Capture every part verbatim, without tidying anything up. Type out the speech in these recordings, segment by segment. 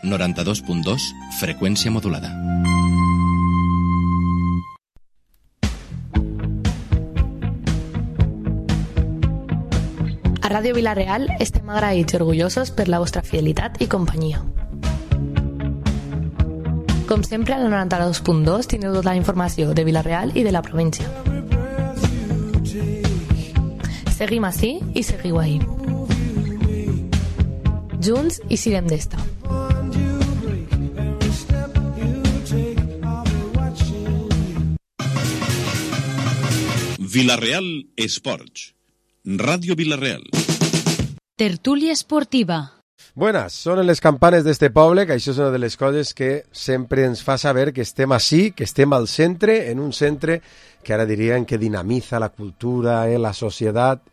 noranta-dos punt dos, freqüència modulada. A Ràdio Vila-real estem agraïts i orgullosos per la vostra fidelitat i companyia. Com sempre, al noranta-dos punt dos teniu tota la informació de Vila-real i de la província. Seguim ací i seguiu ahí. Junts i sirem d'esta. Vila-real Esports. Radio Vila-real. Tertúlia esportiva. Buenas, sonen les campanes d'este poble, que això és una de les coses que sempre ens fa saber que estem així, que estem al centre, en un centre que ara dirien que dinamiza la cultura, eh, la societat.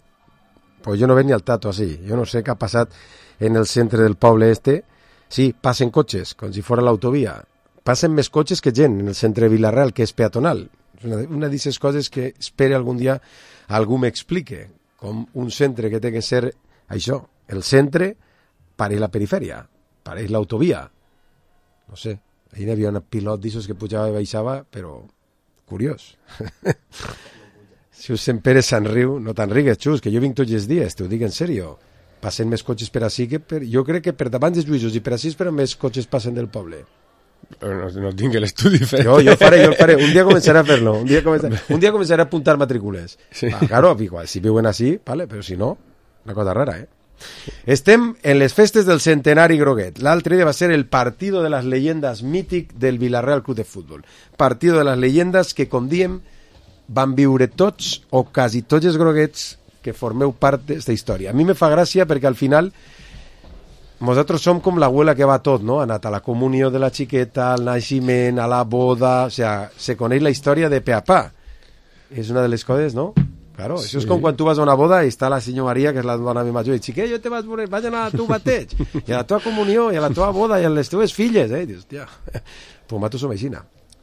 Pues jo no veig ni al tato així, jo no sé què ha passat en el centre del poble este. Sí, passen cotxes, com si fora l'autovia. Passen més cotxes que gent en el centre de Vila-real, que és peatonal. És una, una d'aquestes coses que espero algun dia algú m'explique, com un centre que té que ser això, el centre pareix la perifèria, pareix l'autovia. No sé, ahir hi havia un pilot d'aixòs que pujava i baixava, però curiós. Si us Sant Pere se'n riu, no te'n rigues, Xus, que jo vinc tots els dies, t'ho dic en sèrio. Passen més cotxes per ací que per... Jo crec que per davant dels Lluïsos i per ací però més cotxes passen del poble. No, no tinc l'estudi fet. Jo, jo faré, jo faré. Un dia començaré a fer-lo. Un dia començaré, un dia començaré a apuntar matrícules. Sí. Ah, claro, igual, si viuen així, vale, però si no, una cosa rara, eh? Estem en les festes del centenari groguet. L'altre dia va ser el partido de las leyendas mític del Vila-real Club de Fútbol. Partido de las leyendas que, com diem, van viure tots o quasi tots els groguets que formeu part d'esta història. A mi me fa gràcia perquè al final nosaltres som com l'abuela que va a tot, no? Ha anat a la comunió de la xiqueta, al naixement, a la boda... O sea, se coneix la història de pe a pa. És una de les coses, no? Claro, sí. Això és com quan tu vas a una boda i està la senyora Maria, que és la dona més major, i xiquet, jo te vas veure, vaig anar a tu bateig, i a la teva comunió, i a la teva boda, i a les teves filles, eh? I dius, hòstia, pues nosaltres som així.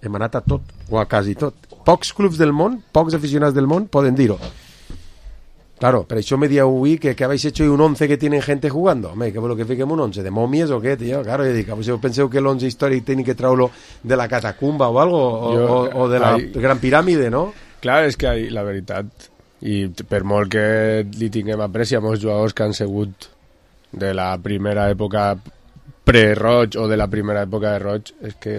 Hem anat a tot, o a quasi tot. Pocs clubs del món, pocs aficionats del món poden dir-ho. Claro, per això me dieu avui que, que habéis hecho un once que tienen gente jugando. Home, que vol que fiquem un once de momies o què, tio? Claro, jo dic, si penseu que l'once històric tenen que treure-lo de la catacumba o algo, o, jo, o, o de la hay... gran piràmide, no? Clar, és que hay, la veritat, i per molt que li tinguem apreci a molts jugadors que han sigut de la primera època pre-Roig o de la primera època de Roig, és que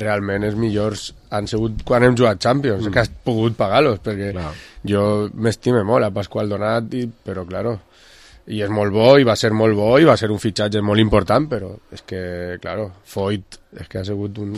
realment els millors han sigut quan hem jugat Champions, mm. que has pogut pagar-los, perquè no. Jo m'estime molt a Pasqual Donat, i, però claro, i és molt bo, i va ser molt bo, i va ser un fitxatge molt important, però és que, claro, Foyt és que ha sigut un,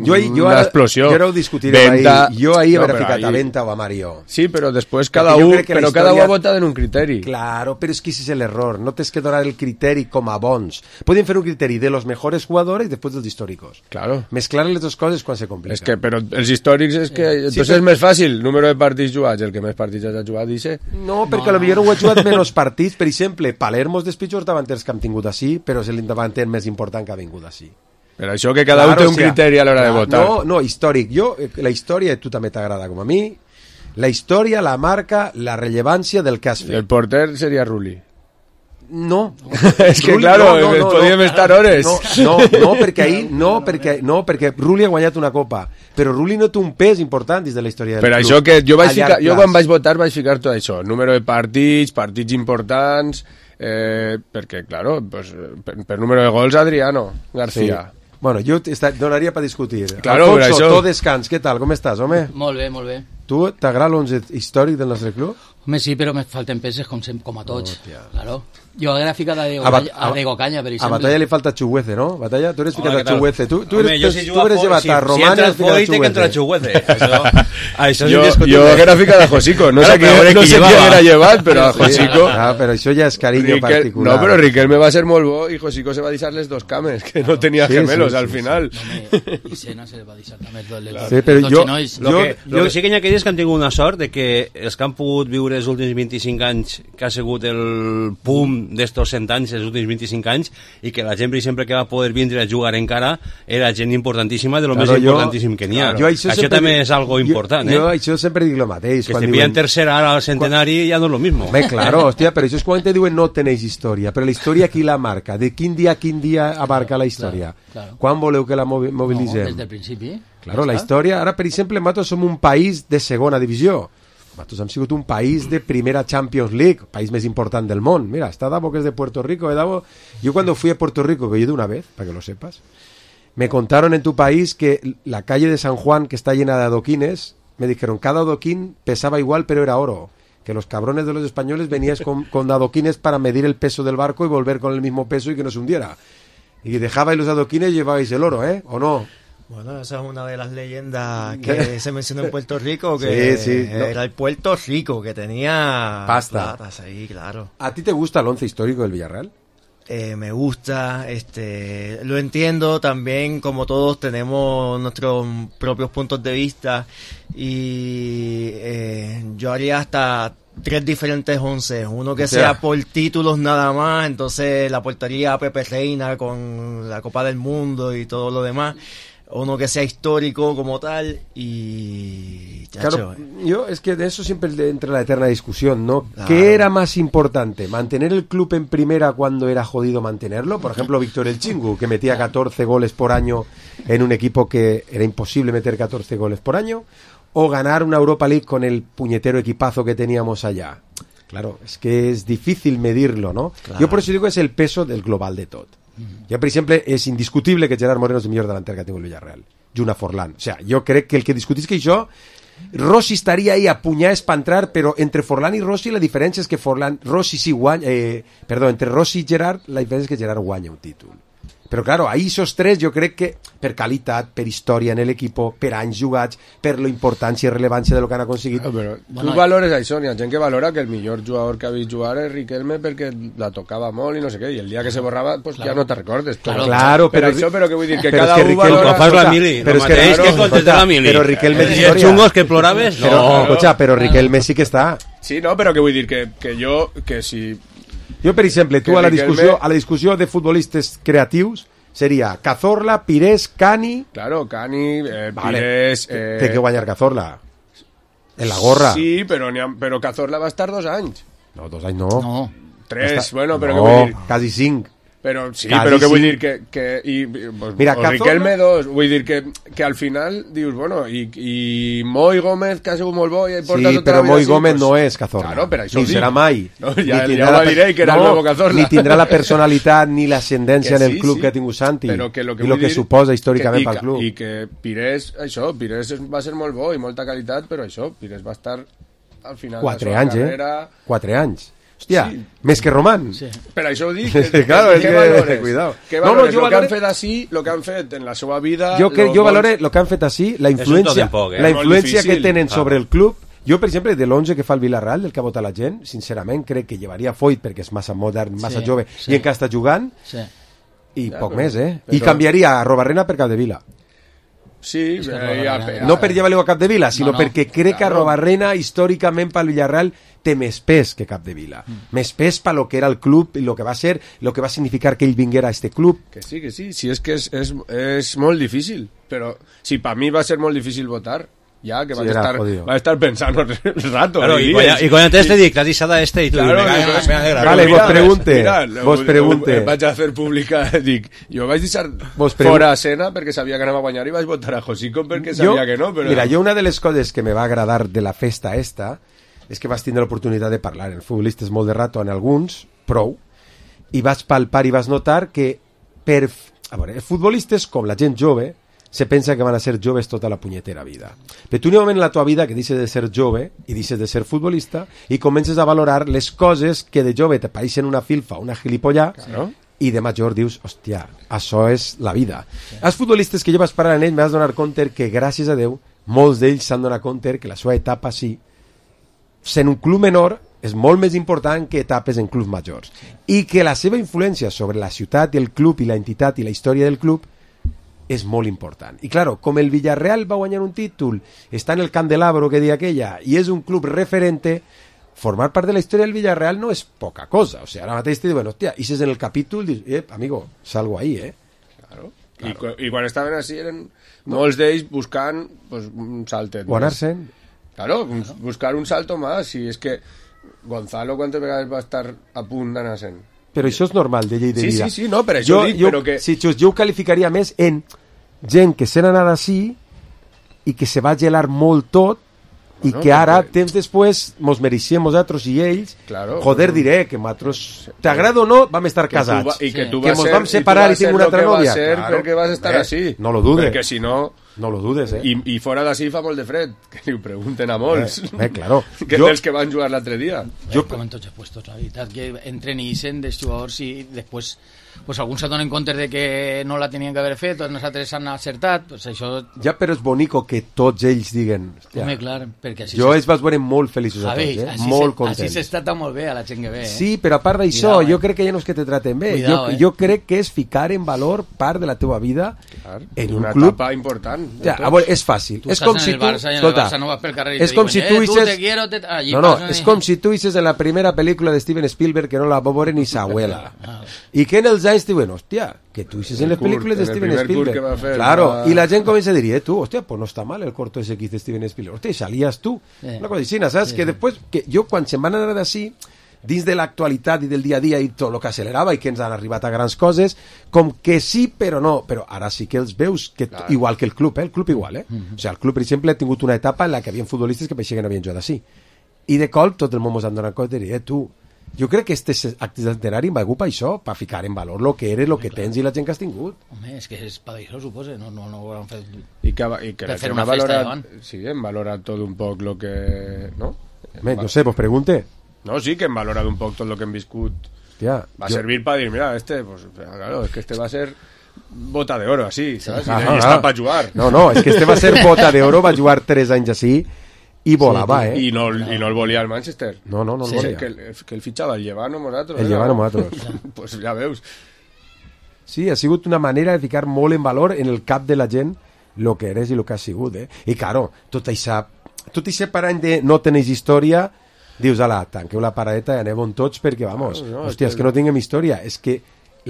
jo, jo una ara, explosió. Jo ara ho discutirem Venta, ahir. Jo ahir no, hauré ficat ahir... a Venta o a Mario. Sí, però després cada un, però història... cada un ha votat en un criteri. Claro, però és que ese és l'error. No tens que donar el criteri com a bons. Podem fer un criteri de los mejores jugadores i després dels històricos. Claro. Mezclar les dues coses quan se complica. És que, però els històrics és que... Sí, entonces però... és més fàcil, número de partits jugats, el que més partits ha jugat, dice... No, perquè no, potser no. ho ha jugat menys partits. Per exemple, Palermo és dels pitjors davanters que hem tingut així, però és l'indavanter més important que ha vingut així. Per això que cada claro, un té un criteri a l'hora de votar. No, no, històric. Jo, la història, tu també t'agrada com a mi, la història la marca la rellevància del que has fet. El porter seria Rulli. No. És que, Rulli, claro, no, no, no, podíem no, estar hores. No, no, no, perquè ahir, no, perquè, no, perquè Rulli ha guanyat una copa, però Rulli no té un pes important dins de la història del per club. Això que jo, vaig ficar, jo quan vaig votar vaig ficar tot això, número de partits, partits importants, eh, perquè, claro, pues, per, per número de gols Adriano García. Sí. Bueno, jo donaria per discutir. Claro, Alfonso, això... tot descans, què tal? Com estàs, home? Molt bé, molt bé. Tu t'agrada l'onze històric del nostre club? Home, sí, però me falten peces com, com a tots. Oh, claro. Jo haguera ficat a Diego, a, a, a Diego Caña, per exemple. A Batalla li falta Chuguece, ¿no? Batalla, tu eres ficat Hola, a Chuguece. Tu, tu eres, Home, si tu eres llevat a Romana, si entra el Foy, té que entrar a Chuguece. Això, això jo, jo haguera ficat a Josico. No sé, claro, qui, no sé qui haguera llevat, però a Josico... Ah, però això ja és carinyo Riquel, particular. No, però Riquelme va ser molt bo i Josico se va deixar les dos cames, que no tenia sí, gemelos sí, sí, al final. Sí, sí. I Sena se va deixar també els dos sí, però jo, lo, que, lo que sí que hi ha que dir és que han tingut una sort de que els que han pogut viure dels últims vint-i-cinc anys que ha sigut el pum d'estos cent anys, els últims vint-i-cinc anys, i que la gent, per exemple, que va poder vindre a jugar encara era gent importantíssima, de lo claro, més jo, importantíssim que n'hi ha. Claro, això això també dic, és algo important, jo, eh? Jo això sempre dic el mateix. Que si pillen tercera ara al centenari quan... ja no és lo mismo. Bé, claro, hòstia, però això és quan te diuen no tenéis història, però la història qui la marca? De quin dia a quin dia abarca la història? Claro, claro. Quan voleu que la mobilitzem? No, des del principi. Claro, la història, ara per exemple, nosaltres som un país de segona divisió. Nosaltres hem sigut un país de primera Champions League, país més important del món. Mira, está Davo, que es de Puerto Rico. ¿eh, Davo? Yo cuando fui a Puerto Rico, que yo he ido una vez, para que lo sepas, me contaron en tu país que la calle de San Juan, que está llena de adoquines, me dijeron, cada adoquín pesaba igual, pero era oro. Que los cabrones de los españoles venías con, con adoquines para medir el peso del barco y volver con el mismo peso y que no se hundiera. Y dejabais los adoquines y llevabais el oro, ¿eh? ¿O no? Bueno, esa es una de las leyendas que se mencionó en Puerto Rico, que sí, sí, no. Era el Puerto Rico, que tenía pasta. Plata, sí, claro. ¿A ti te gusta el once histórico del Villarreal? Eh, me gusta, este, lo entiendo también, como todos tenemos nuestros propios puntos de vista, y eh, yo haría hasta tres diferentes once, uno que o sea, sea por títulos nada más, entonces la aportaría a Pepe Reina con la Copa del Mundo y todo lo demás, uno que sea histórico como tal, y chacho, claro, eh. yo es que de eso siempre entra la eterna discusión, ¿no? Claro. ¿Qué era más importante? ¿Mantener el club en primera cuando era jodido mantenerlo? Por ejemplo, Víctor El Chingu, que metía catorce goles por año en un equipo que era imposible meter catorce goles por año, o ganar una Europa League con el puñetero equipazo que teníamos allá. Claro, es que es difícil medirlo, ¿no? Claro. Jo per això dic que és el peso del global de tot. Mm. Jo, per exemple, és indiscutible que Gerard Moreno és el millor delanter que ha tingut el Villarreal. I una Forlán. O sea, jo crec que el que discutís que això, Rossi estaria ahí a punyar per entrar, però entre Forlán i Rossi la diferència és que Forlán, Rossi sí guanya, eh, perdó, entre Rossi i Gerard la diferència és que Gerard guanya un títol. Però, claro, ahí esos tres jo crec que per qualitat, per història en l'equipo, per anys jugats, per la importància i rellevància de lo que han aconseguit. No, però bueno, tu valores això, hi ha gent que valora que el millor jugador que ha vist jugar és Riquelme perquè la tocava molt i no sé què, i el dia que se borrava, pues claro, ja no te recordes. Claro, claro, però, però això, però que vull dir que però cada es que un valora... Com fas la mili, el mateix que contestar la mili. Però Riquelme és història. història. I els xungos que ploraves, no. Però, escolta, però Riquelme sí que està. Sí, no, però que vull dir que, que jo, que si... Jo, per exemple, tu a la discussió, a la discussió de futbolistes creatius, sería Cazorla, Pires, Cani... Claro, Cani, eh, vale. Pires... Eh... Té que guanyar Cazorla. En la gorra. Sí, però, ha... però Cazorla va estar dos anys. No, dos anys no. No. Tres, Està... bueno, però no, què vull dir? quasi cinc. Però sí, Quasi però què vull sí. dir que... que i, pues, Mira, o Cazorla... Riquelme dos, vull dir que, que al final dius, bueno, i, i Moi Gómez, que ha sigut molt bo i porta sí, tota però la vida Moi així, Gómez pues, no és Cazorla. Claro, però això ni serà mai. No, ja, ni ja ho diré que era no, el nuevo Cazorla. Ni tindrà la personalitat ni l'ascendència en el sí, club sí. que ha tingut Santi Però que lo que i el que suposa històricament que, pel club. I que Pires, això, Pires va ser molt bo i molta qualitat, però això, Pires va estar al final Quatre de la seva anys, carrera... eh? Quatre anys. Hòstia, sí. més que Román. Sí. Per això ho dic. Que, claro, que, es que, valores, cuidado. Que valores, no, no, jo lo valore... que han fet així, lo que han fet en la seva vida... Jo, que, jo vols... valore lo que han fet així, la influència, poc, eh? la influència que tenen ah. sobre el club. Jo, per exemple, de l'onze que fa el Villarreal, del que ha votat la gent, sincerament crec que llevaria Foyt perquè és massa modern, massa sí, jove, sí. i encara està jugant, sí. i ja, poc però, més, eh? Però... I canviaria a Robarrena per Capdevila. Sí, que eh, ja, ja, no per llevar-lo a Capdevila, sinó no, no. perquè crec que a Claro. Robarrena, històricament, pel Villarreal, té més pes que Capdevila. Mm. Més pes per lo que era el club i lo que va ser, lo que va significar que ell vinguera a este club. Que sí, que sí, si és que és, és, és molt difícil, però si per mi va ser molt difícil votar, ja que Sí, vaig, era estar, jodido. vaig estar pensant un rato. Claro, i y, cuando, y cuando antes te dic, la disada este y tú, Claro, me cae, pues, me alegra. Vale, mira, vos pregunte, mira, vos pregunte. Vaig a fer pública, dic, jo vaig deixar Vos pregun- fora a Sena perquè sabia que anava a guanyar i vaig votar a Josico perquè sabia que no, però... Mira, jo una de les coses que me va agradar de la festa esta és que vas tindre l'oportunitat de parlar en futbolistes molt de rato, en alguns, prou, i vas palpar i vas notar que per... A veure, els futbolistes, com la gent jove, se pensa que van a ser joves tota la punyetera vida. Però tu n'hi ha un moment en la tua vida que deixes de ser jove i deixes de ser futbolista i comences a valorar les coses que de jove te pareixen una filfa, una gilipollà, Claro. i de major dius, hòstia, això és la vida. Sí. Els futbolistes que jo vaig parar en ells m'has donar compte que, gràcies a Déu, molts d'ells s'han donat compte que la seva etapa sí, sent un club menor, és molt més important que etapes en clubs majors. I que la seva influència sobre la ciutat i el club i la entitat i la història del club és molt important. I claro, com el Villarreal va guanyar un títol, està en el candelabro que deia aquella, i és un club referente, formar part de la història del Villarreal no és poca cosa. O sigui, ara mateix te diuen, hòstia, i si és en el capítol, dius, eh, amigo, salgo ahí, eh? Claro. Claro. I, cu I quan estaven així eren molts d'ells buscant pues, un saltet. O anar-se'n. Claro, buscar un salto más. Si és que Gonzalo quantes vegades va estar a punt d'anar-se'n. Però això és normal, de llei de sí, vida. Sí, sí, no, per això jo, dic, jo, però que... Sí, just, jo ho qualificaria més en gent que se n'ha anat així i que se va gelar molt tot i bueno, que ara, perquè... temps després, mos mereixem nosaltres i ells, claro, joder, no. diré que nosaltres, t'agrada o no, vam estar que casats. Va, I que, sí. tu que vas mos ser, vam separar i, i tinc una altra nòvia. Ser claro. Perquè vas estar eh, així. No lo dudes. Perquè si no... No lo dudes, eh? I, i fora d'ací fa molt de fred, que li ho pregunten a molts. Eh, eh claro. Que jo... dels que van jugar l'altre dia. Jo... Com en tots els puestos, la veritat, que entren i ixen dels jugadors i després pues, alguns s'adonen compte de que no la tenien que haver fet, tots nosaltres s'han acertat, pues això... Ja, però és bonico que tots ells diguen... Home, clar, perquè així... Jo ells vas veure molt feliços a tots, eh? Molt contents. Així s'està molt bé a la gent que ve, eh? Sí, però a part d'això, jo crec que ja no és que te traten bé. Cuidao, jo, eh? jo crec que és ficar en valor part de la teva vida clar, en un una club... etapa important. Ja, a veure, és fàcil. Tu és com si tu... Barça, escolta, no vas pel carrer i és com si tu diuen, eh, hisses... tu te quiero, te... Allí no, no, passen... és com si tu hisses en la primera pel·lícula de Steven Spielberg que no la va veure ni sa abuela. Ah, I que en els anys diuen, hòstia, que tu hisses en les pel·lícules de Steven Spielberg. Fer, claro, va... i la gent comença a dir, eh, tu, hòstia, pues no està mal el corto ese que hizo Steven Spielberg. Hòstia, salías tu. Sí. Una cosa així, saps? Sí. Que després, que jo quan se'n van anar d'ací, dins de l'actualitat i del dia a dia i tot el que accelerava i que ens han arribat a grans coses, com que sí però no, però ara sí que els veus que claro. igual que el club, eh? El club igual, eh? Mm-hmm. O sigui, el club, per exemple, ha tingut una etapa en la que hi havia futbolistes que pareixia que no havien jugat així. I de cop tot el món ens han donat compte de dir, eh, tu, jo crec que este acte centenari va per això, per ficar en valor el que eres, el que tens i la gent que has tingut. Home, és que és per això, suposa, no, no, no ho han fet... I que, i que per fer una festa davant. Sí, hem valorat tot un poc el que... No? Home, no sé, vos pregunte. No, sí, que hem valorat un poc tot el que hem viscut. Hòstia, va jo... servir para dir, mira, este, pues, claro, es que este va a ser bota de oro, así, ¿sabes? Ah, I, ah, i està ah. per jugar. No, no, és que este va ser bota de oro, va jugar tres anys així, i volava, sí, eh? I no, i no el volia el Manchester. No, no, no el sí, volia. Que, el, que el fitxava el Llevano nosaltres. El Llevano nosaltres. Pues ja veus. Sí, ha sigut una manera de ficar molt en valor en el cap de la gent el que eres i el que has sigut, eh? I, claro, tot això, tot això per any de no teneix història, dius, ala, tanqueu la paradeta i aneu tots perquè, vamos, no, no, hòstia, és que no tinguem història. És que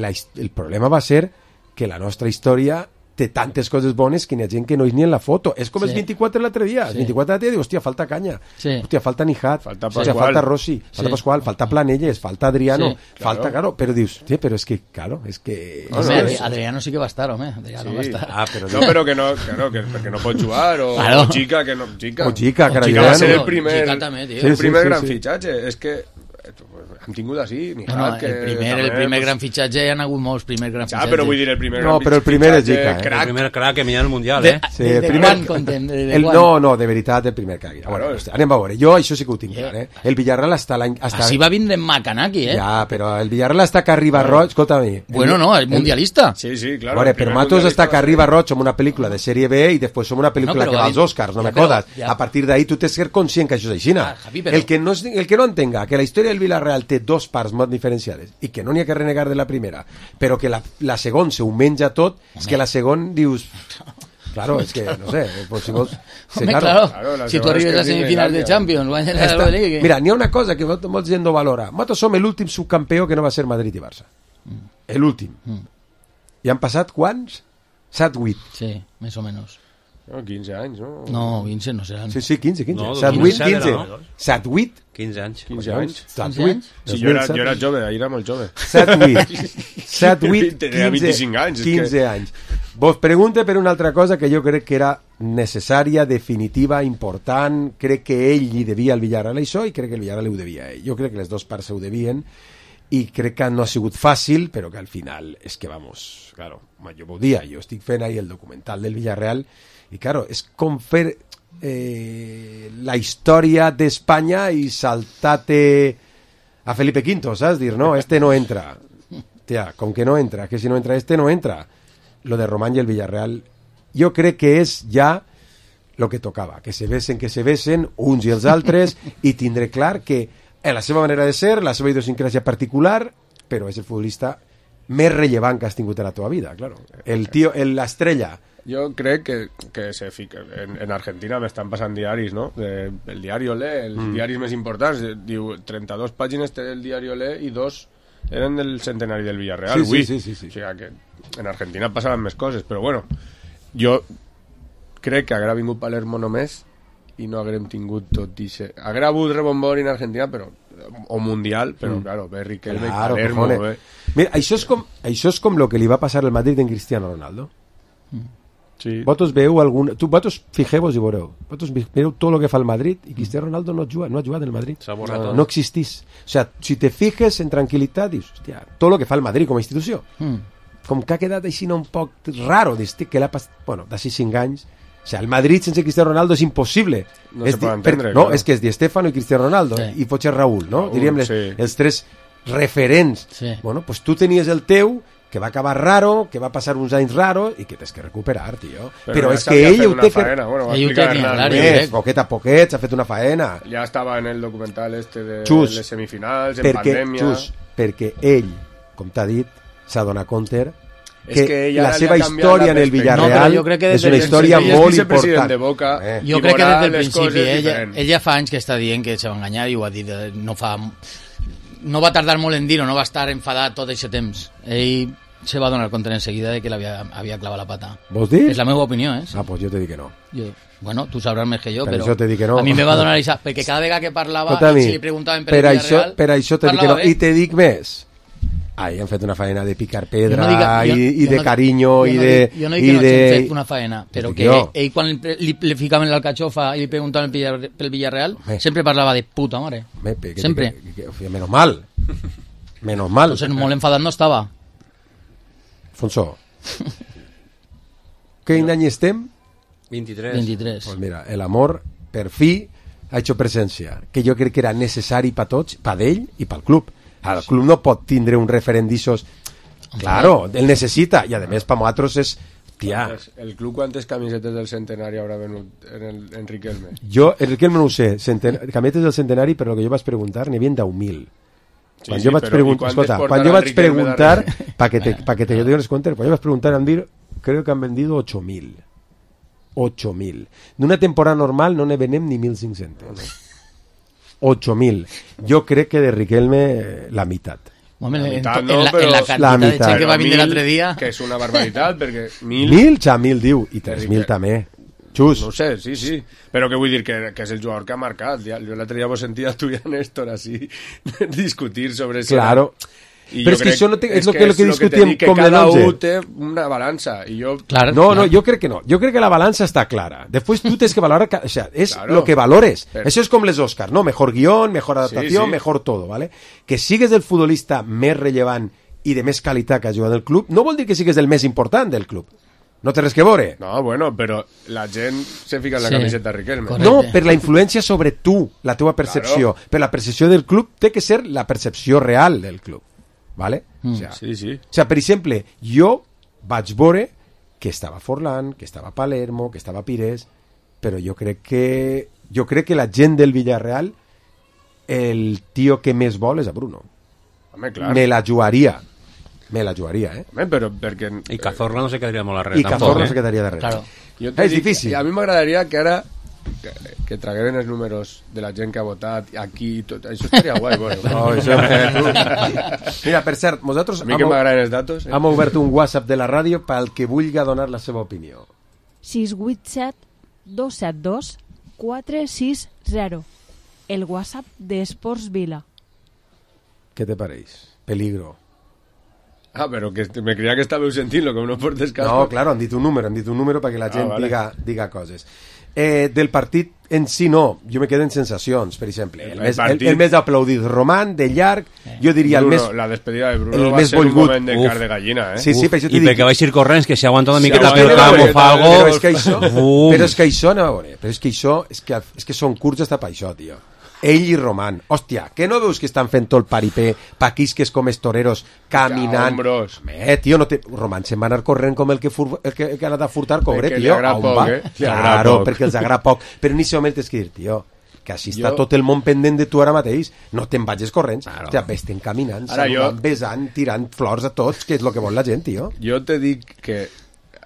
la, el problema va ser que la nostra història té tantes coses bones que n'hi ha gent que no és ni en la foto. És com sí. els vint-i-quatre l'altre dia. Sí. Els vint-i-quatre l'altre dia diu, hòstia, falta Canya. Sí. Hòstia, falta Nijat. Falta Hòstia, falta Rossi. Falta sí. Pasqual. Falta Planelles. Falta Adriano. Sí. Falta, claro. claro. Però dius, sí, però és que, claro, és que... No, no, no, Adriano sí que va estar, home. Adriano sí. va estar. Ah, però no, però que no, claro, que, perquè no pot jugar. O, claro. o Chica, que no... Chica. O Chica, que o Chica va ser el primer, Chica també, tio. el primer sí, sí, gran sí. fitxatge. És que hem tingut així, ni no, no, que el primer, també, el primer pues... gran fitxatge hi ha hagut molts primers grans ja, fitxatges. però vull dir el primer no, gran però el primer és Chica, eh? El primer crack que m'hi ha al Mundial, de, eh? Sí, de, el de primer... quan contem? De, de el, quan? no, no, de veritat, el primer crack. A veure, claro. Anem a veure, jo això sí que ho tinc clar, eh? El Villarreal està l'any... Està... Així va vindre Macanaki, eh? Ja, però el Villarreal està que arriba a Roig, escolta-mi. Bueno, no, el mundialista. Sí, sí, claro. A veure, però Matos està que arriba a Roig amb una pel·lícula de sèrie B i després som una pel·lícula no, que va als Oscars, no ja, me codes. Ja. A partir d'ahí tu tens que ser conscient que això és així. Ah, Javi, però... el, que no, el que no entenga que la història del Villarreal té dos parts molt diferenciades i que no n'hi ha que renegar de la primera, però que la, la segon se ho menja tot, home. És que la segon dius... Claro, és que, no sé, pues si vols... Home, claro, claro si tu arribes a semifinals de Champions, guanyes la Europa League... Mira, n'hi ha una cosa que molta gent no valora. Nosaltres som l'últim subcampió que no va ser Madrid i Barça. Mm. L'últim. Mm. I han passat quants? set vuit. Sí, més o menys. No, quinze anys, no? No, quinze no seran. Sí, sí, quinze, quinze. No, set vuit, quinze. set vuit. quinze anys. quinze anys. set vuit. Sí, jo era, jo era jove, ahir era molt jove. set vuit. set vuit, tenia vint-i-cinc anys. quinze que... anys. Vos pregunte per una altra cosa que jo crec que era necessària, definitiva, important. Crec que ell li devia al Villarreal això i crec que el Villarreal ho devia a ell. Jo crec que les dues parts ho devien i crec que no ha sigut fàcil, però que al final és que, vamos, claro, jo ho dia, jo estic fent ahí el documental del Villarreal i, claro, és com fer eh, la història d'Espanya i saltar-te a Felipe Quinto, saps? Dir, no, este no entra. Tia, com que no entra, que si no entra este, no entra. Lo de Román i el Villarreal, jo crec que és ja lo que tocava, que se besen, que se besen, uns i els altres, i tindré clar que és la seva manera de ser, la seva idiosincràsia particular, però és el futbolista més rellevant que has tingut a la teva vida, claro. El tio, l'estrella Jo crec que, que se fica, en, en Argentina m'estan passant diaris, no? De, el diari Olé, els mm. diaris més importants, diu trenta-dos pàgines té el diari Olé i dos eren del centenari del Villarreal. Sí, sí, sí, sí, sí. O sigui que en Argentina passaven més coses, però bueno, jo crec que haguera vingut Palermo només i no haguérem tingut tot ixe. Haguera hagut rebombori en Argentina, però o mundial, però, mm. claro, ve Riquelme claro, i Palermo. Ve. Mira, això és com això és com lo que li va passar al Madrid en Cristiano Ronaldo. Mm. Sí. Vosaltres veu algun... Tu, vosaltres fixeu-vos i veureu. Vosaltres mireu tot el que fa el Madrid i Cristiano Ronaldo no ha jugat, no ha jugat en el Madrid. No, no existís. O sea, si te fijes en tranquil·litat, dius, hòstia, tot el que fa el Madrid com a institució. Mm. Com que ha quedat així un poc raro, que l'ha passat... Bueno, d'ací cinc anys... O sea, el Madrid sense Cristiano Ronaldo és impossible. No és se pot entendre. Per, no, és que és Di Stéfano i Cristiano Ronaldo sí. i potser Raúl, no? Raúl, diríem les, sí. els tres referents. Sí. Bueno, pues tu tenies el teu, que va acabar raro, que va passar uns anys raros i que tens que recuperar, tio. Però, Però ja és que ell ho té que... Bueno, ell ho té que... Poquet a poquet s'ha fet una faena. Ja estava en el documental este de Xus, les semifinals, en perquè, pandèmia... Xus, perquè ell, com t'ha dit, s'ha donat compte que, que la seva història en el Villarreal no, és una història molt important. De Boca, eh. Jo crec que des del principi ella, ella fa anys que està dient que se va enganyar i ho ha dit, no fa no va tardar molt en dir-ho, no va estar enfadat tot aquest temps. Ell se va donar compte en seguida de que l'havia havia clavat la pata. Vols dir? És la meva opinió, eh? Sí. Ah, pues jo te dic que no. Jo, bueno, tu sabràs més que jo, per però això te dic que no. A mi me va donar això, perquè cada vegada que parlava i si li preguntaven per, per el això, Villarreal, per això te dic que no. bé. I te dic més. Ai, han fet una faena de picar pedra no diga, jo, i, i de no, carinyo jo i no de... Dic, jo no dic que no de... hagin fet una faena, però que jo. ell quan li, li, li ficaven l'alcachofa i li preguntaven pel, pel Villarreal, me. sempre parlava de puta mare. Me, que, sempre. Que, que, que, menos mal. Menos mal. Entonces molt enfadat no estava. Alfonso. Quin any estem? vint-i-tres. vint-i-tres. Pues mira, el amor per fi ha hecho presencia, que jo crec que era necessari per tots, per ell i pel club. El club no pot tindre un referent d'ixos. Claro, el necessita. I a més, per nosaltres és... Tia. El club quantes camisetes del centenari haurà venut en, el, en Riquelme? Jo, el Riquelme no ho sé. Centen... Camisetes del centenari, però el que jo vaig preguntar, n'hi havia deu mil. Sí, quan sí, jo vaig preguntar... Escolta, quan jo vaig preguntar, para que te, pa que te dones cuenta, quan jo vaig preguntar, em dir, creo que han vendido ocho mil. ocho mil. D'una temporada normal no ne venem ni mil cinc-cents. ocho mil. Jo crec que de Riquelme la meitat. Home, la mitad, en, no, en, la, en la cantidad de gent que va vindre l'altre dia... Que és una barbaritat, perquè mil... Mil, ja mil diu, i tres mil també. Xus. No sé, sí, sí. Però què vull dir? Que, que és el jugador que ha marcat. Ja, jo l'altre dia vos sentia tu i a Néstor així discutir sobre... Claro. I però és que això no té, és, és el que, que, que discutíem que com cada l'onze. un té una balança i jo... Claro, no, no, jo crec que no. Jo crec que la balança està clara. Després tu tens que valorar, o sea, és claro, lo que valores. Pero... Això és com les Oscars, ¿no? Mejor guión, mejor adaptació, sí, sí. mejor todo, ¿vale? Que sigues el futbolista més rellevant i de més qualitat que ha jugat del club, no vol dir que sigues el més important del club. No té res que veure. No, bueno, però la gent se fica en la sí. camiseta de Riquelme. Correcte. No, per la influència sobre tu, la teva percepció. Claro. Per la percepció del club té que ser la percepció real del club. ¿Vale? Mm. O sea, sí, sí. O sea, per exemple, jo vaig veure que estava Forlán, que estava Palermo, que estava Pires, però jo crec que jo crec que la gent del Villarreal el tio que més vol és a Bruno. Home, clar. Me la jugaria. Me la jugaria, eh? Home, però perquè... I Cazorla no se quedaria molt a res. I Cazorla no se quedaria de res. Claro. És dic, difícil. A mi m'agradaria que ara que, que tragueren els números de la gent que ha votat aquí i tot. Això estaria guai, bueno. No, això Mira, per cert, nosaltres a mi que m'agraden els datos, eh? hem obert un WhatsApp de la ràdio pel que vulgui donar la seva opinió. sis vuit set dos set dos quatre sis zero. El WhatsApp de Esports Vila. ¿Qué te pareix? Peligro. Ah, però que me creia que estàveu sentint-lo, com no portes cas. No, claro, han dit un número, han dit un número perquè la gent ah, vale. diga, diga coses. Eh, del partit en si no, jo me quedo en sensacions, per exemple. El, el, més, el, el més aplaudit Román, de llarg, eh. jo diria Bruno, el més... La despedida de Bruno va ser volgut. Un moment de car de gallina, eh? Sí, sí, per I dic... perquè vaig ir corrents, que si aguanta una miqueta si pel camp o fa algo... Però és que això, però és que això, no, però és que això, és que, és que són curts hasta per això, tio. Ell i Román, hòstia, que no veus que estan fent tot el paripé pa quisques com els toreros caminant? Eh, tio, no te... Román se'n va anar corrent com el que, fur... el que, el que ha anat a furtar cogre, perquè tio. Perquè li agrada poc, eh? Li claro, poc. Perquè els agrada poc. Però en aquest moment tens que dir, tio, que així està jo... tot el món pendent de tu ara mateix. No te'n vagis corrents. Claro. Hòstia, vés-te'n caminant, saludant, jo... besant, tirant flors a tots, que és el que vol la gent, tio. Jo te dic que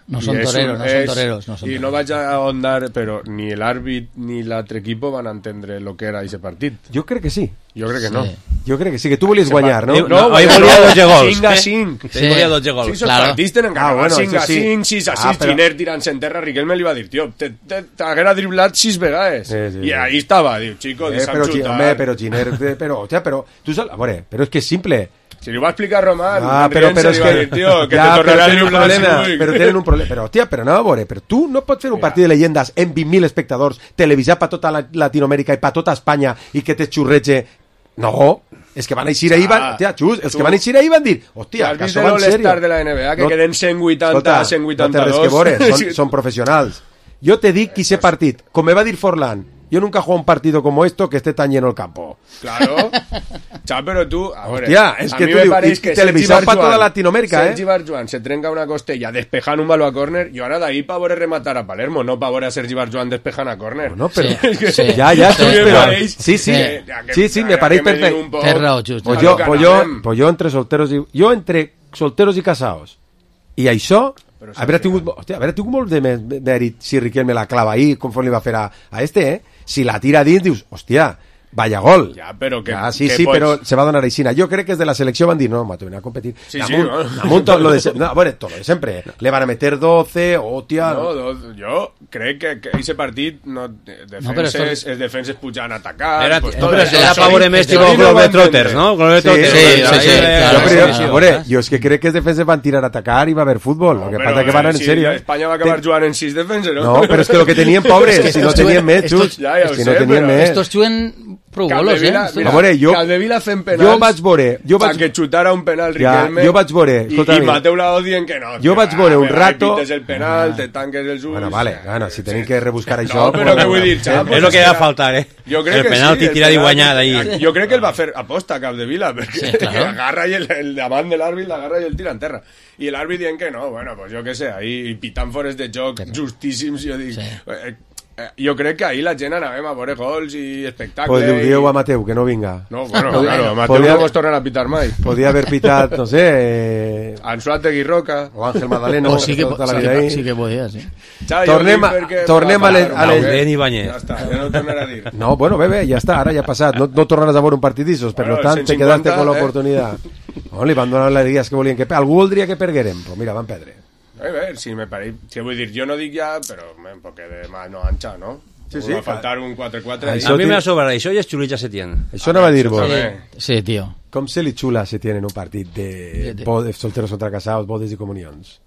No són toreros, no són toreros. No són I no vaig a ahondar, però ni l'àrbit ni l'altre equip van entendre el que era aquest partit. Jo crec que sí. Jo crec que no. Jo crec que sí, que tu volies guanyar, no? No, ahí volia dotze gols. cinc a cinc. Sí, volia dotze gols. Sí, esos partits tenen que acabar cinc a cinc, sis a sis, però... Giner tirant-se en terra, Riquelme li va dir, tio, t'haguera driblat sis vegades. Sí, sí, I sí. ahí estava, diu, chico, eh, deixa'm però, xutar. home, però Giner, però, hòstia, però, tu saps, a veure, però és que és simple. Si li ho va explicar Román, ah, però, però és que, dir, tio, que ja, te tornarà a tenen un driblar problema, cinc. però tenen un problema, però, hòstia, però no, a veure, però tu no pots fer un partit de leyendes en vint mil espectadors, televisat per tota la Latinoamèrica i per tota Espanya i que te xurrege. No, és que van eixir ahir, van, hòstia, xus, els que van eixir ahir van dir, hòstia, que som en sèrio. de la N B A, que no, queden cent vuitanta, cent vuitanta-dos. No té res que veure, són, són professionals. Jo te dic que ese partit, com me va dir Forlán, yo nunca he jugado un partido como esto que esté tan lleno el campo. Claro. Chá, pero tú, a ver, hostia, es a que mí tú me digo, parece que televisado para toda Latinoamérica, Sergi eh. Barjuan se trenca una costella despejant un baló a córner y ahora de ahí para veure rematar a Palermo, no para veure a Sergi Barjuan despejant a córner. No, pero sí, sí. ya, ya, sí, pero sí, sí, sí, sí, sí, me parece perfecto. Té raó, just. Pues yo, pues yo, pues yo entre solteros y yo entre solteros y casados. I això, haver tingut, hòstia, haver tingut molt de mèrit si Riquelme la clava ahir, conforme li va fer a, a este, eh? Si la tira dins, dius, hòstia, vaya gol. Ja, però que... Ja, sí, que sí, pots... però se va donar aixina. Jo crec que des de la selecció van dir, no, mato, ven a competir. Sí, Damunt, sí, no. damunt tot lo de... No, bueno, todo de sempre. Le van a meter doce, hòstia... No, do, jo crec que, que ese partit no, defenses, no, però es defenses pujant a atacar... Era, pues, no, però era per veure més tipus Globetrotters, no? Globetrotters. Sí, sí, sí. Jo, jo és que crec que els defenses van tirar a atacar i va haver futbol. Lo que passa que van en serio. Espanya va acabar jugant en sis defenses, no? No, però és que lo que tenien pobres, si no tenien més, just, és que no tenien més. Estos juguen prou golos, eh? A veure, jo... Capdevila fent penals... Jo vaig veure... Jo vaig... que xutara un penal Riquelme... Jo vaig veure... I, i Mateu Laoz dient que no. Jo vaig veure un rato... Pites el penal, te tanques els ulls... Bueno, vale, bueno, si tenim que rebuscar això... No, però què vull dir, xap? És el que va faltar, eh? El penal que tira de guanyar d'ahir. Jo crec que el va fer aposta a Capdevila, perquè agarra i el davant de l'àrbit l'agarra i el tira en terra. I l'àrbit dient que no, bueno, pues jo què sé, ahí pitant fores de joc justíssims, jo dic... Jo crec que ahir la gent anàvem a veure gols i espectacles. Pues li dieu a Mateu que no vinga. No, bueno, claro, a Mateu no vos tornen a pitar mai. Podia haver pitat, no sé... Eh... Ansuategui Roca. O Ángel Madaleno. O sí que, tota la vida sí, sí que podia, sí. Ja, tornem a, tornem a les... A les... Ja està, ja no tornarà a dir. No, bueno, bebe, ja està, ara ja ha passat. No, no tornaràs a veure un partidissos, per bueno, tant, te quedaste con l'oportunitat. Eh? No, li van donar les dies que volien que... Algú voldria que perguérem, però mira, van perdre. A veure, si me pareix... Si vull dir, jo no dic ja, però un poc de mano ancha, no? Sí, sí, va faltar un quatre quatre. A mi m'ha sobrat això i es xulitja Setién. Això no va dir-vos. Sí, sí, tio. Com se li xula Setién en un partit de, de... de solteros contra casados, bodes i comunions?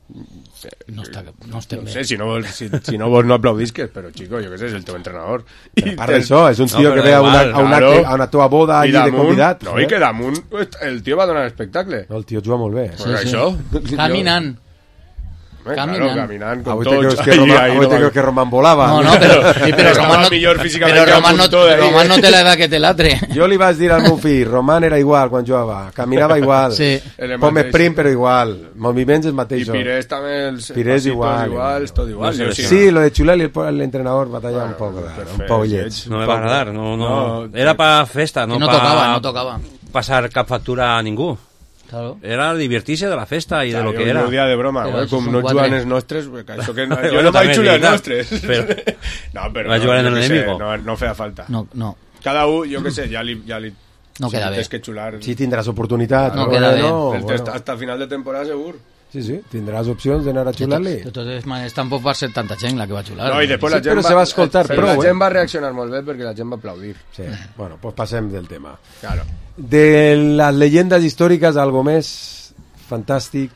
No, està, no estem no bé. sé, si no vols, si, si no, vols no aplaudisques, però, chico, jo què sé, és el teu entrenador. I part d'això, és un tio no, que ve a una, a, una, claro. a una teva boda allí de convidat. No, eh? I que damunt el tio va donar espectacle. No, el tio juga molt bé. Sí, pues sí. Això. Caminant. Eh, caminant. Claro, caminant con avui tots. Te creus que, Roman, no va... que Roman volava. No, no, però, sí, però Roman, no, però Roman, no, Roman no té l'edat que té l'altre. Jo li vaig dir al meu fill, Roman era igual quan jugava, caminava igual, sí. Pom sprint però igual, moviments els mateixos. I Pires també, els Pires igual, igual, tot igual. No sé, sí, lo de Xular y l'entrenador batalla bueno, un poc, perfecte, un poc lleig. No me va agradar, no, no, era pa festa, no, no pa tocava, no tocava. Passar cap factura a ningú. Claro. Era divertir-se de la festa i de lo que era. Un dia de broma, eh? Com no juguen els nostres, això que no, jo bueno, no vaig xular els nostres. Però, no, però va jugar en el enemigo. No, no feia falta. No, no. Cada un, jo què sé, ja li... Ja li no queda bé. Que xular... Sí, tindràs oportunitat. No, no queda bé. No, el bueno. Hasta final de temporada segur. Sí, sí, tindràs opcions d'anar a xular-li. De totes maneres, tampoc va ser tanta gent la que va xular. No, i després la sí, gent però va, se va escoltar però prou, la gent eh? va reaccionar molt bé perquè la gent va aplaudir. Sí, bueno, pues passem del tema. Claro. De las leyendas históricas, algo més fantàstic,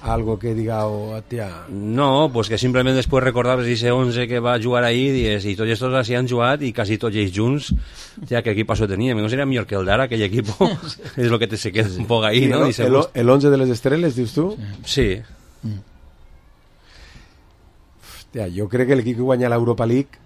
algo que digau, tia... No, pues que simplement després recordaves ese once que va jugar ahir i tots estos així han jugat i quasi tots ells junts, ja que equip això tenia, no seria millor que el d'ara, aquell equip és el que te se queda un poc ahí, no? El, el, el once de les estrelles, dius tu? Sí. Mm. Hòstia, jo crec que l'equip que guanya l'Europa League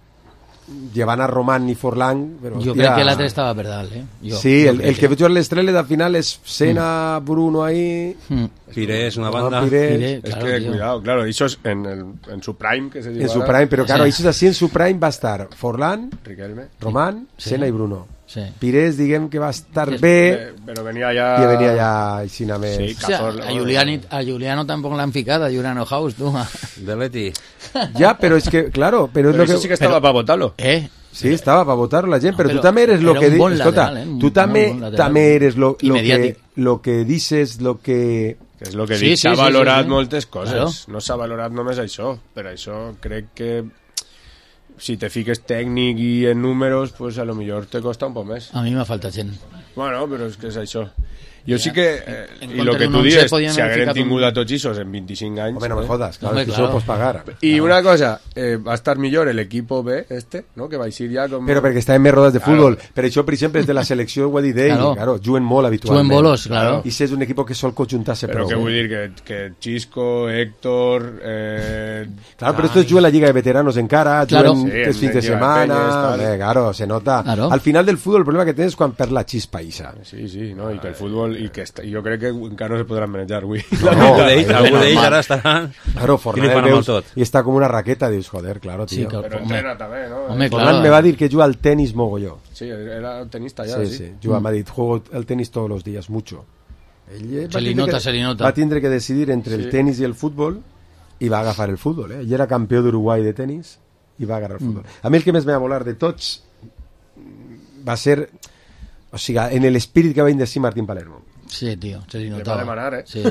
llevant a Roman i Forlán, però, jo hòstia, crec que l'altre estava per dalt, eh? Jo, sí, jo el, el que, que veig a l'estrelles al final és Sena, mm. Bruno ahí, mm. Pires, una banda. Pires. Pires, es claro, que tío. Cuidado, claro, eso es en, el, en su prime que se dice. En su prime, pero claro, sí. Eso es así, en su prime va a estar Forlán, Riquelme, Román, sí. Sena y Bruno. Sí. Pires, diguem que va estar Sí, bé, Eh, però venia ja... i venia ja així més... Sí, O sea, Cazorla, a, Juliani, a Juliano tampoc l'han ficat, a Juliano House, tu. De Leti. Ja, però és que, claro, però és Però lo això que... sí que estava per votar-lo. Eh? Sí, estava per votar la gent, No, però, però tu també eres lo era que... un di- bon Escolta, lateral, eh? Un tu també, molt bon lateral. també eres lo, I lo, que, mediàtic. lo que dices, lo que... Que és el que Sí, dic, sí, s'ha sí, valorat sí, sí. moltes coses. Claro. No s'ha valorat només això. Per això crec que si te fiques tècnic i en números, pues a lo millor te costa un poc més. A mi m'ha faltat gent. Bueno, però és que és això. Jo sí Ja, que, en- eh, en i compte el que d'un tu once dius, podien si haver hagueren ficat un- tingut a tots ixos en vint-i-cinc anys... Home, no me eh? jodas, claro, Home, que claro. això ho pots pagar. I una cosa, eh, va estar millor el equipo B, este, no? Que va a ir ja com... Però perquè està en més rodes de Claro. futbol. Per això, per exemple, és de la selecció, ho ha dit ell, Claro. claro, juguen molt habitualment. Juguen bolos, claro. I si és un equip que sol conjuntar-se Però prou. què eh? vull dir? Que, que Chisco, Héctor... Eh... Claro, pero esto es juega la Liga de Veteranos en cara, Claro. juegan Sí, tres en fines de Liga de semana, Peñas, tal. eh, claro, se nota. Claro. Al final del fútbol el problema que tienes es cuando per la chispa, Isa. Sí, sí, no? I que el futbol... I que està, jo crec que encara no se podran manejar avui. No, Algú no, d'ells no, algú no, d'ells no. ara estarà... Claro, Flipant Fornal amb veus, tot. y está como una raqueta, dius, joder, claro, tío. Sí, claro. Però Home. entrena també, no? Home, Fornal claro. me va a decir que juega al tenis mogolló. Sí, era tenista ja, Sí, sí. sí, juga, me ha dit, juego al tenis todos los días, mucho. Ell eh, va Se li tindre nota, que- se li nota. Va tindre que decidir entre Sí. el tenis i el futbol i va agafar el futbol, eh? Ell era campió d'Uruguai de tenis i va agarrar el futbol. A mi el que més me va volar de tots va ser, o sigui, en l'espírit que va indecir Martín Palermo. Sí, tio, se li Le notava. va demanar, eh? Sí.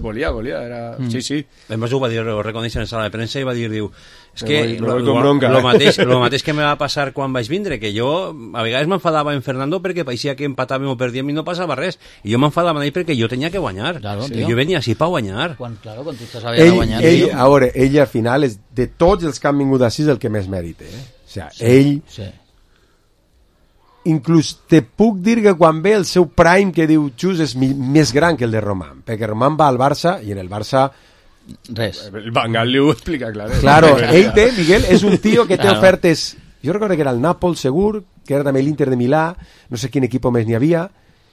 volia, volia, era... Sí, sí. A més ho va dir, ho reconèixer en sala de premsa i va dir, diu, és Me que voy- me lo, voy con lo, bronca, lo, eh?" mateix, lo mateix que me va passar quan vaig vindre, que jo a vegades m'enfadava en Fernando perquè pareixia que empatàvem o perdíem i no passava res, i jo m'enfadava amb ell perquè jo tenia que guanyar. Claro, Sí. tio. Jo venia així per guanyar. Quan, claro, quan tu estàs havent de Ell, guanyar... ell, tio. a veure, ell al final és de tots els que han vingut així és el que més mèrita, eh? O sigui, Sí, ell Sí. inclús te puc dir que quan ve el seu prime que diu Xus és mi, més gran que el de Román, perquè Román va al Barça i en el Barça, Res. El Van Gaal li ho explica, clar. eh? claro, ell té, Miguel, és un tio que té Claro. ofertes, jo recordo que era el Nàpol segur, que era també l'Inter de Milà, no sé quin equip més n'hi havia,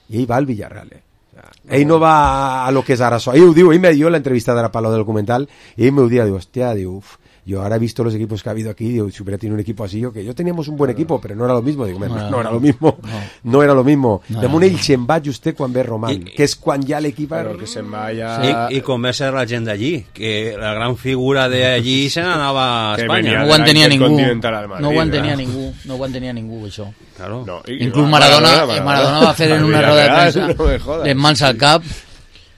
i ell va al Villarreal, eh? O sea, ell no va a lo que és ara so. Ell ho diu, ell me dio la entrevista de la Palo del documental, y ell me ho dia, diu, hostia, diu, uf, yo ahora he visto los equipos que ha habido aquí, digo, si hubiera tenido un equipo así, yo que yo teníamos un buen equipo, pero no era lo mismo, digo, no, No, no era no, lo mismo, no. no era lo mismo. No, Damunt no, ell se'n va just quan ve Román, I- que és quan ja l'equip... Però que se'n va ja... I, i com va ser la gent d'allí, que la gran figura d'allí se n'anava a Que Espanya. venia No de ho la entenia ningú. Intercontinental al Madrid, No ho entenia ¿verdad? ningú. No ho entenia ningú, això. Claro. No, i- Inclús i- Maradona, Maradona, eh, Maradona va fer en Al una roda de Villarreal, premsa no me jodas. les mans al cap.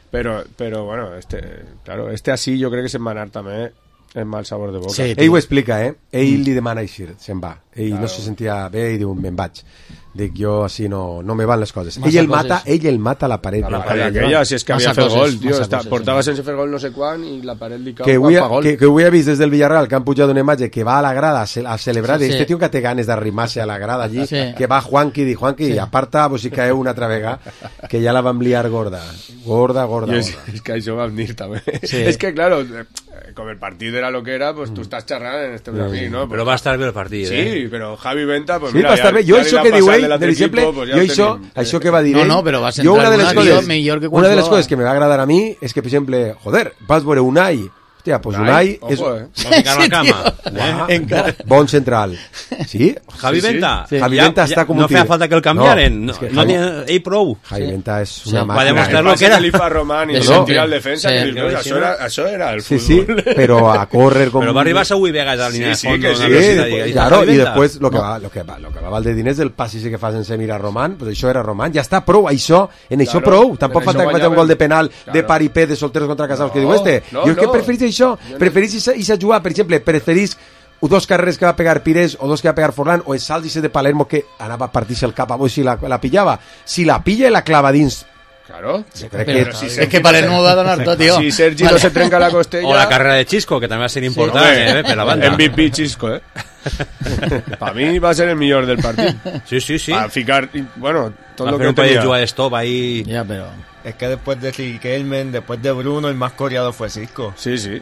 Pero, pero bueno, este, claro, este así yo creo que se'n va anar també en mal sabor de boca. Sí. Ell ho explica, eh? Ell li demana eixir, se'n va. Ell Claro. no se sentia bé i diu, me'n vaig. Dic, jo així no, no me van les coses. Massa Ell el coses. mata, ell el mata a la paret. A la del paret pavelló. aquella, si és que Massa havia fet coses, gol, tio. massa Està, coses, portava sí. sense fer gol no sé quan i la paret li cau que quan avui, fa gol. que, que avui he vist des del Villarreal que han pujat una imatge que va a la grada a, ce a celebrar Sí, sí. este tio que té ganes d'arrimar-se a la grada allí, Sí. que va Juanqui di Juanqui, Sí. aparta vos si caeu una altra vegada que ja la vam liar gorda gorda, gorda, I és, gorda. és que això vam dir també. Sí. Es que claro, eh, como el partido era lo que era, pues tú estás charrando en este aquí, ¿no? Però va estar bé el partit, Sí, eh? pero Javi Venta, pues Sí, mira, va estar ja- bé. Jo ja li això va que diu passar ell, de per l'altre exemple, equipo, pues ja jo ho això, tenim. això que va dir No, ell, no, però va jo centrar una de les una, coses, tio, millor que quan una de les jugava. coses que me va agradar a mi és que, per exemple, joder, vas veure Unai, hòstia, pues Unai Ojo, és eh. Va ficar la Sí, cama. tio. Eh? Uah, Encara. bon central. Sí? Javi Sí, sí. Venta. Sí. Javi Ja- Venta ja està com un no feia tir. falta que el canviaren. No, No, és que no, Javi- no ell prou. Javi Sí. Venta és una Sí. màquina. Va demostrar El lo pase que era. que li fa Román i De no, sempre. tira al defensa, Sí. que dius, això, era, això era el Sí, sí, fútbol. pero a correr con... Però va arribar a Uy Vegas a la línia Sí, sí, de fondo. que en sí, la Sí, velocidad, después- i- i claro, Javi y Venta. después lo que va, lo que va, lo que va val de diners del passi que fa sense mirar Román, pues això era Román, ja està prou, això, en això Claro, prou, tampoc en falta això que faci un guanyava- gol de penal Claro. de paripé de solteros contra casados que No, diu este, no, jo és que no. preferís això, preferís isa, isa jugar, per exemple, preferís dos carreres que va pegar Pires o dos que va pegar Forlán o el salt ese de Palermo que anava a partir-se el cap a Boix si la, la pillava, si la pilla i la clava dins, Claro. jo crec Però que... si és Sergi que Palermo va donar tot, tio. Si Sergi Vale. no se trenca la costella... O la carrera de Chisco, que també va ser important, Hombre, eh, per la banda. M V P Chisco, eh? Para mí va a ser el millor del partido. Sí, sí, sí. A ficar, y, bueno, todo Va lo fer que un parell de tenía. jugades top ahí. Ja, però... Es que después de Riquelme, después de Bruno, el más coreado fue Cisco. Sí, sí.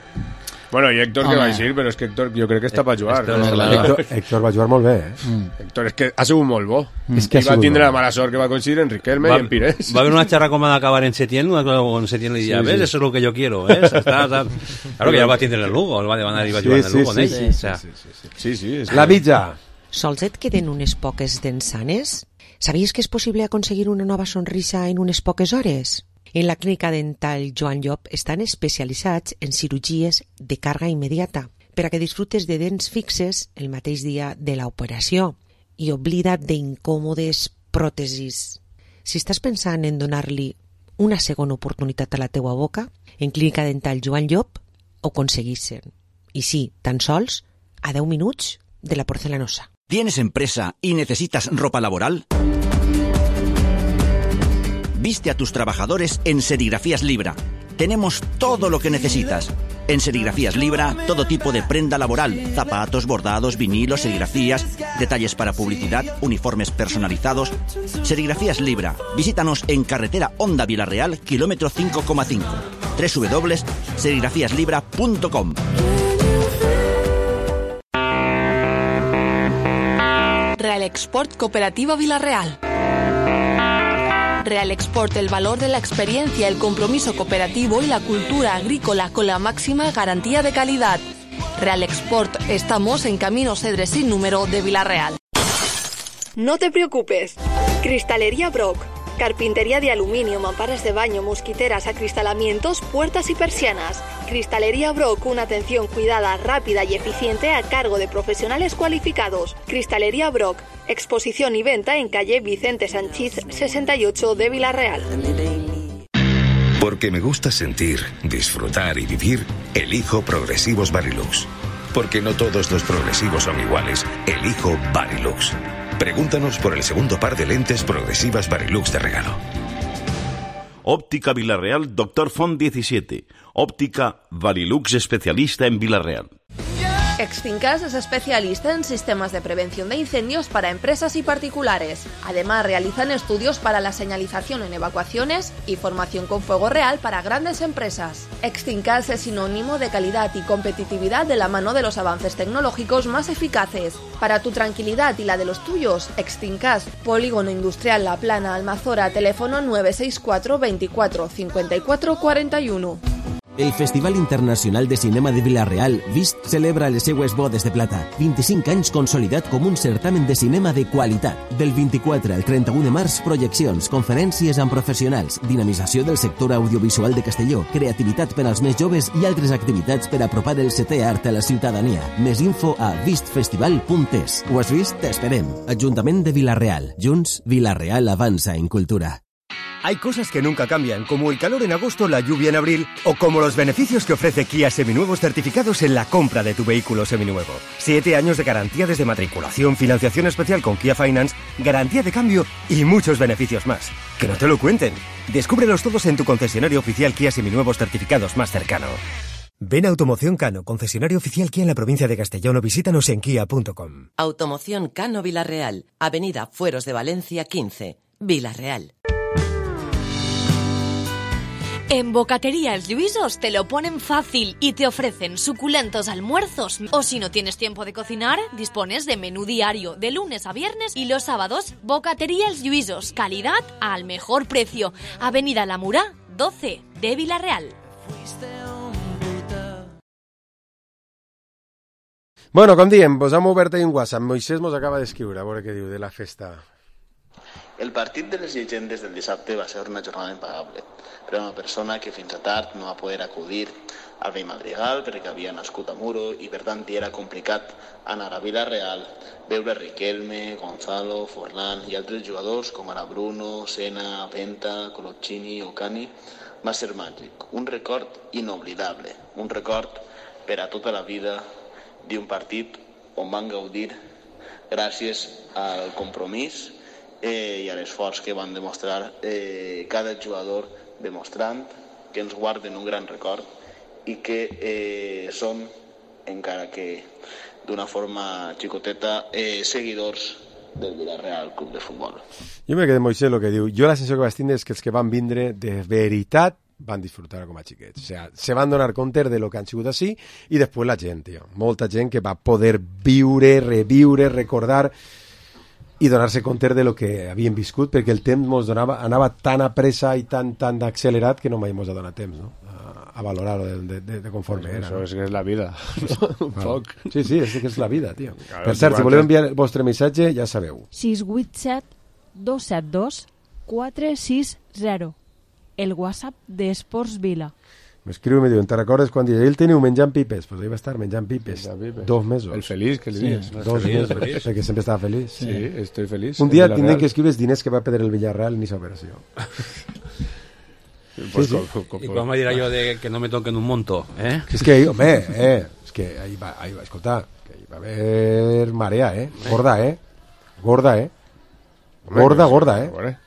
Bueno, y Héctor que Home. va a decir, pero es que Héctor yo creo que está para jugar. Héctor ¿no? és clar. Héctor, Héctor va jugar molt bé, eh? Héctor, es que ha sido un molt bo. És que ha I va sigut tindre molt la bo. mala sort que va coincidir en Riquelme Va, y en Pires. va haver una charra com ha d'acabar en Setién, una cosa con Setién le diría, Sí, ves, sí. eso es lo que yo quiero, ¿ves? Está, está. Claro que ya va a tindre el Lugo, el va a ir a jugar Sí, en el sí, Lugo, sí, ¿eh? sí, O sea, Sí, sí. Es La que- mitja, Sols et queden unes poques dents sanes? Sabies que és possible aconseguir una nova sonrisa en unes poques hores? En la clínica dental Joan Llop estan especialitzats en cirurgies de càrrega immediata per a que disfrutes de dents fixes el mateix dia de l'operació i oblida't d'incòmodes pròtesis. Si estàs pensant en donar-li una segona oportunitat a la teua boca, en clínica dental Joan Llop ho aconseguissin. I sí, tan sols a deu minuts de la porcelanosa. ¿Tienes empresa y necesitas ropa laboral? Viste a tus trabajadores en Serigrafías Libra. Tenemos todo lo que necesitas. En Serigrafías Libra, todo tipo de prenda laboral, zapatos, bordados, vinilos, serigrafías, detalles para publicidad, uniformes personalizados. Serigrafías Libra. Visítanos en carretera Honda Vilarreal, kilómetro cinco coma cinco. doble u doble u doble u punto serigrafías libra punto com. Real Export Cooperativa Vilarreal. Real Export, el valor de la experiencia, el compromiso cooperativo y la cultura agrícola con la máxima garantía de calidad. Real Export, estamos en Camino Cedre sin número de Vilarreal. No te preocupes. Cristalería Brock. Carpintería de aluminio, mamparas de baño, mosquiteras, acristalamientos, puertas y persianas. Cristalería Brock, una atención cuidada, rápida y eficiente a cargo de profesionales cualificados. Cristalería Brock, exposición y venta en calle Vicente Sanchís sesenta y ocho de Vilarreal. Porque me gusta sentir, disfrutar y vivir, elijo Progresivos Varilux. Porque no todos los progresivos son iguales, elijo Varilux. Pregúntanos por el segundo par de lentes progresivas Varilux de regalo. Óptica Vilarreal, Doctor Font diecisiete. Óptica Varilux, especialista en Vilarreal. Extincas es especialista en sistemas de prevención de incendios para empresas y particulares. Además, realizan estudios para la señalización en evacuaciones y formación con fuego real para grandes empresas. Extincas es sinónimo de calidad y competitividad de la mano de los avances tecnológicos más eficaces. Para tu tranquilidad y la de los tuyos, Extincas, Polígono Industrial La Plana, Almazora, teléfono nueve seis cuatro veinticuatro cincuenta y cuatro cuarenta y uno. El Festival Internacional de Cinema de Vilarreal, Vist, celebra les seues bodes de plata. vint-i-cinc anys consolidat com un certamen de cinema de qualitat. Del vint-i-quatre al trenta-u de març, projeccions, conferències amb professionals, dinamització del sector audiovisual de Castelló, creativitat per als més joves i altres activitats per apropar el setè art a la ciutadania. Més info a vist festival punt es. Ho has vist? T'esperem. Ajuntament de Vilarreal. Junts, Vilarreal avanza en cultura. Hay cosas que nunca cambian, como el calor en agosto, la lluvia en abril, o como los beneficios que ofrece Kia Seminuevos certificados en la compra de tu vehículo seminuevo. Siete años de garantía desde matriculación, financiación especial con Kia Finance, garantía de cambio y muchos beneficios más. Que no te lo cuenten. Descúbrelos todos en tu concesionario oficial Kia Seminuevos certificados más cercano. Ven a Automoción Cano, concesionario oficial Kia en la provincia de Castellón, o visítanos en kia punto com. Automoción Cano Vilarreal, Avenida Fueros de Valencia quince, Vilarreal. En Bocatería Els Lluïsos te lo ponen fácil y te ofrecen suculentos almuerzos. O si no tienes tiempo de cocinar, dispones de menú diario de lunes a viernes y los sábados. Bocatería Els Lluïsos, calidad al mejor precio. Avenida La Murà, doce de Vilarreal. Bueno, com diem, vos hem obert ahir un WhatsApp. Moisés mos acaba d'escriure, a veure què diu de la festa. El partit de les llegendes del dissabte va ser una jornada impagable. Per una persona que fins a tard no va poder acudir al vell Madrigal perquè havia nascut a Muro i per tant era complicat anar a Vilarreal, veure Riquelme, Gonzalo, Forlán i altres jugadors com ara Bruno, Sena, Penta, Coloccini o Cani, va ser màgic, un record inoblidable, un record per a tota la vida d'un partit on van gaudir gràcies al compromís eh, i a l'esforç que van demostrar eh, cada jugador, demostrant que ens guarden un gran record i que eh, són, encara que d'una forma xicoteta, eh, seguidors del Villarreal Club de Futbol. Jo me quedé Moisés el que diu. Jo la sensació que vaig tindre és que els que van vindre de veritat van disfrutar com a xiquets. O sea, se van donar compte de lo que han sigut així i després la gent, tio. Molta gent que va poder viure, reviure, recordar i donar-se compte de lo que havien viscut, perquè el temps mos donava, anava tan a pressa i tan, tan accelerat que no mai mos ha donat temps, no? A, a valorar de, de, de, de conforme pues era. Això no? és que és la vida. Un Claro. poc. Sí, sí, és que és la vida, tio. Claro, per cert, si tu voleu antes- enviar el vostre missatge, ja sabeu. sis vuit set dos set dos quatre sis zero. El WhatsApp d'Esports Vila. M'escriu i me diuen, te recordes quan ell teniu menjant pipes? Pues ell va estar menjant pipes, Menjant pipes. dos mesos. El feliç, que li sí, dius. dos Feliç, mesos, feliç. perquè sempre estava feliç. Sí, estoy feliç. Un dia El tindrem Villarreal. que escriure els diners que va perdre el Villarreal en aquesta operació. Pues sí, com- sí. com- I quan me dirà jo de que no me toquen un monto, eh? És que, home, eh, és que ahí va, ahí va, escolta, que ahí va haver marea, eh? Gorda, eh? Gorda, eh? Gorda, gorda, eh?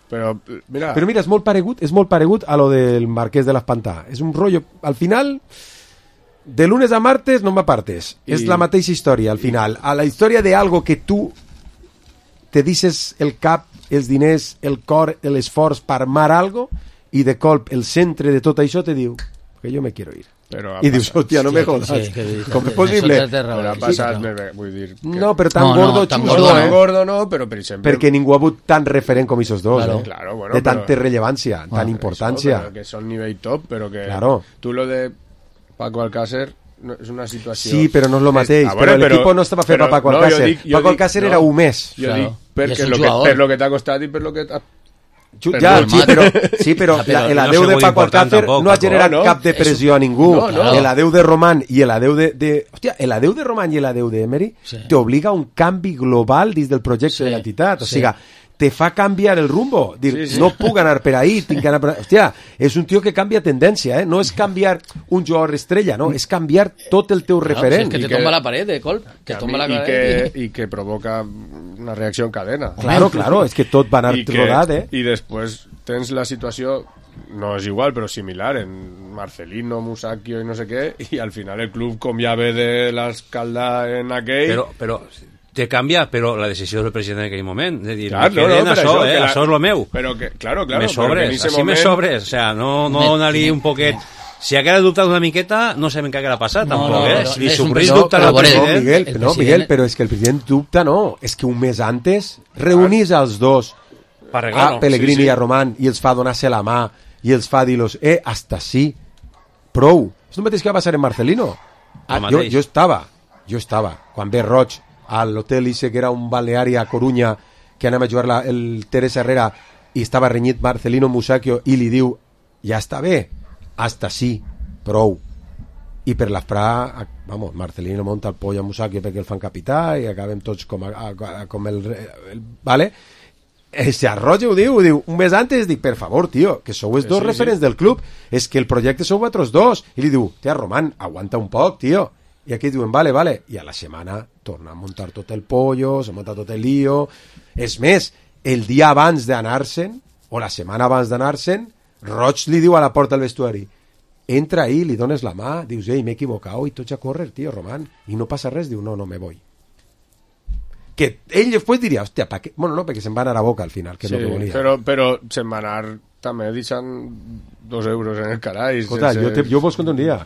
Però, mira... Però mira, és molt paregut, és molt paregut a lo del Marquès de l'Espantà. És un rotllo, al final, de lunes a martes no m'apartes. I- És la mateixa història, al final. A la història de algo que tu te dices el cap, els diners, el cor, l'esforç per armar algo, i de colp el centre de tot això te diu que jo me quiero ir. Però ha I dius, passat. hòstia, no me Sí, jodas. sí, que- Com és possible? Això té raó, Però ha passat, sí. vull dir... Que... No, però tan No, no, gordo, tan xusto, gordo eh? no. Gordo no, però per exemple... Perquè ningú ha hagut tan referent com esos dos, Claro. eh? Claro, bueno, de però- tanta rellevància, Bueno, tan importància. Eso, pero que son nivel top, pero que Claro. tú lo de Paco Alcácer no, és una situació... Sí, però no és lo mateix. Ah, però bueno, l'equip no estava fet però- per Paco no, Alcácer. jo dic- jo Paco dic- Alcácer no, era un mes. Jo Claro. dic I perquè és un lo que, jugador. per lo que t'ha costat i per lo que t'ha... Ju- per Ja, lo- sí, però, sí, però Ja, la, el no adeu ha de sigut Paco important Alcácer tampoc, no ha Paco. generat No, no, cap depressió és- a ningú. no, no. El adeu de Román i el adeu de... de hòstia, el adeu de Román i el adeu de Emery Sí. t'obliga a un canvi global dins del projecte Sí, de l'entitat. O sí. sigui, te fa canviar el rumbo. Dir, Sí, sí. no puc anar per ahí, tinc que anar per ahí. Hòstia, és un tio que canvia tendència, eh? No és canviar un jugador estrella, no? És canviar tot el teu Claro, referent. si es que te tomba la pared de colp, que a tomba mí- la y pared. que, y que provoca una reacció en cadena. Claro, claro, és que tot va anar I que- rodat, eh? I després tens la situació, no és igual, però similar, en Marcelino, Musacchio i no sé què, i al final el club com ja ve de l'escalda en aquell... Però, però te canvia, però la decisió del president en aquell moment, de dir, Clar, me no, no, queden per això, això, eh, que la- això és lo meu. Però que, claro, claro, me però que en sobres, ese així me moment- sobres, o sea, no, no Me- donar-li un poquet... Si haguera dubtat una miqueta, no sabem què haguera passat, No, tampoc, no, eh? no, Si li és un sofrís però- dubtar però al veure, No, president... Miguel, el no, president- Miguel, però és que el president dubta, no. És que un mes antes reunís als dos, Per arreglar-ho. a Pellegrini Sí, sí. i a Román, i els fa donar-se la mà, i els fa dir-los, eh, hasta sí, prou. És el mateix que va passar en Marcelino. Ah, jo, mateix. jo estava, jo estava, quan ve Roig a l'hotel Ise, que era un balneari a Corunya, que anem a jugar la, el Teresa Herrera, i estava renyit Marcelino Musacchio, i li diu, ja està bé, hasta sí, prou. I per l'Afrà, vamos, Marcelino monta el poll a Musacchio perquè el fan capità i acabem tots com, a, a, com el, el... Vale? Ese Arroyo ho diu, ho diu, un mes antes dic, per favor, tio, que sou els Sí, dos sí, referents sí. del club, és que el projecte sou vosaltres dos. I li diu, tia, Román, aguanta un poc, tio. I aquí diuen, vale, vale. I a la setmana torna a muntar tot el pollo, se munta tot el lío. És més, el dia abans d'anar-se'n, o la setmana abans d'anar-se'n, Roig li diu a la porta del vestuari, entra ahí, li dones la mà, dius, ei, m'he equivocat, i tots a córrer, tio, Román, i no passa res, diu, no, no, me voy. Que ell després diria, hòstia, pa què? Bueno, no, perquè se'n va anar a boca al final, que és Sí, el que volia. però, però se'n va anar també deixant dos euros en el carai. Escolta, sense- jo, te, jo vos conto un dia.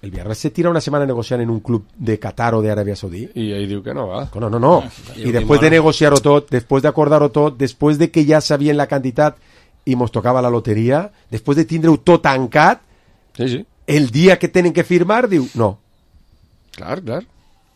El Villarreal se tira una setmana negociant en un club de Qatar o d'Aràbia Saudí. I ell diu que no va. No, no, no. I I després de última- negociar-ho tot, després d'acordar-ho tot, després de que ja sabien la quantitat i mos tocava la loteria, després de tindre-ho tot tancat, sí, sí. el dia que tenen que firmar, diu, no. Clar, clar.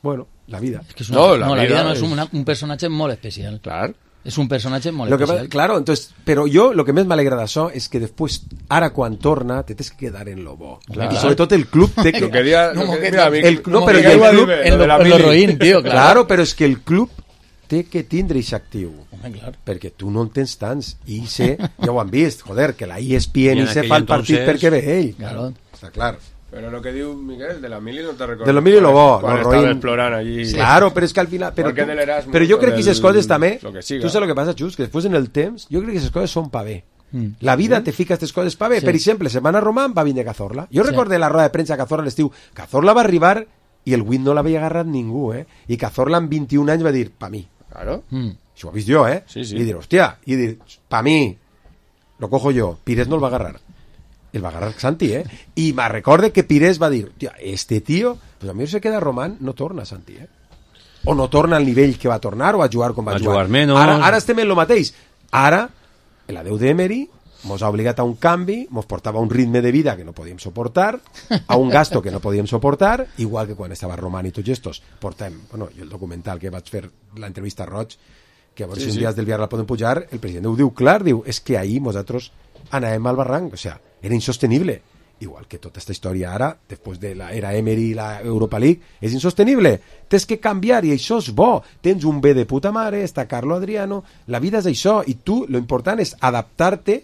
Bueno, la vida. Es que es una- no, la, vida, no es un, un personatge molt especial. Clar. És un personatge molt Lo que, especial. claro, entonces, però jo lo que més m'alegra d'això és que després, ara quan torna, te tens que quedar en lo bo. Clar. I sobretot el club té que... Lo que dia- No, lo que- que- mira, mi- el, no, como però que el iba a club... dir, en lo de la lo- en mili. lo roïn, tio, clar. Claro, però és que el club té que tindre aquest actiu. Home, clar. Perquè tu no en tens tants. I sé, ja ho han vist, joder, que la E S P N I en i se aquell fa el partit entonces- perquè ve ell. Claro. Està clar. Però lo que diu Miguel, de la mili no te recordo. De lo mil i lo bo. Quan lo estava roïn. explorant allí. Claro, però és que al final... Però, Porque tu, del Erasmus, però jo crec que del- aquestes coses també... lo que siga. Tu saps el que passa, Xus? Que després en el temps, jo crec que aquestes coses són pa bé. Mm. La vida te fica aquestes coses pa bé. Sí. Per exemple, setmana Román va vindre Cazorla. Jo Sí. recordé la roda de premsa a Cazorla a l'estiu. Cazorla va arribar i el Win no l'havia agarrat ningú, eh? I Cazorla amb vint-i-un anys va dir, pa mi. Claro. Mm. Això ho he vist jo, eh? Sí, sí. I dir, hòstia, i dir, pa mi, lo cojo yo. Pires no el va agarrar. El va agarrar Santi, eh? I me recorde que Pires va dir, hòstia, este tío, pues a mi se queda Román, no torna Santi, eh? O no torna al nivell que va tornar o a jugar com va, Va jugar. jugar menos. Ara, ara estem en lo mateix. Ara, l'adeu d'Emery mos ha obligat a un canvi, mos portava a un ritme de vida que no podíem soportar, a un gasto que no podíem soportar, igual que quan estava Roman i tots estos, portem, bueno, jo el documental que vaig fer, l'entrevista a Roig, que a veure sí, si un sí. dia del Villarreal poden pujar, el president ho diu clar, diu, és que ahir nosaltres anàvem al barranc, o sea, era insostenible. Igual que tota esta història ara, després de l'era Emery i la Europa League, és insostenible. Tens que canviar i això és bo. Tens un bé de puta mare, està Carlo Adriano, la vida és això, i tu, lo important és adaptar-te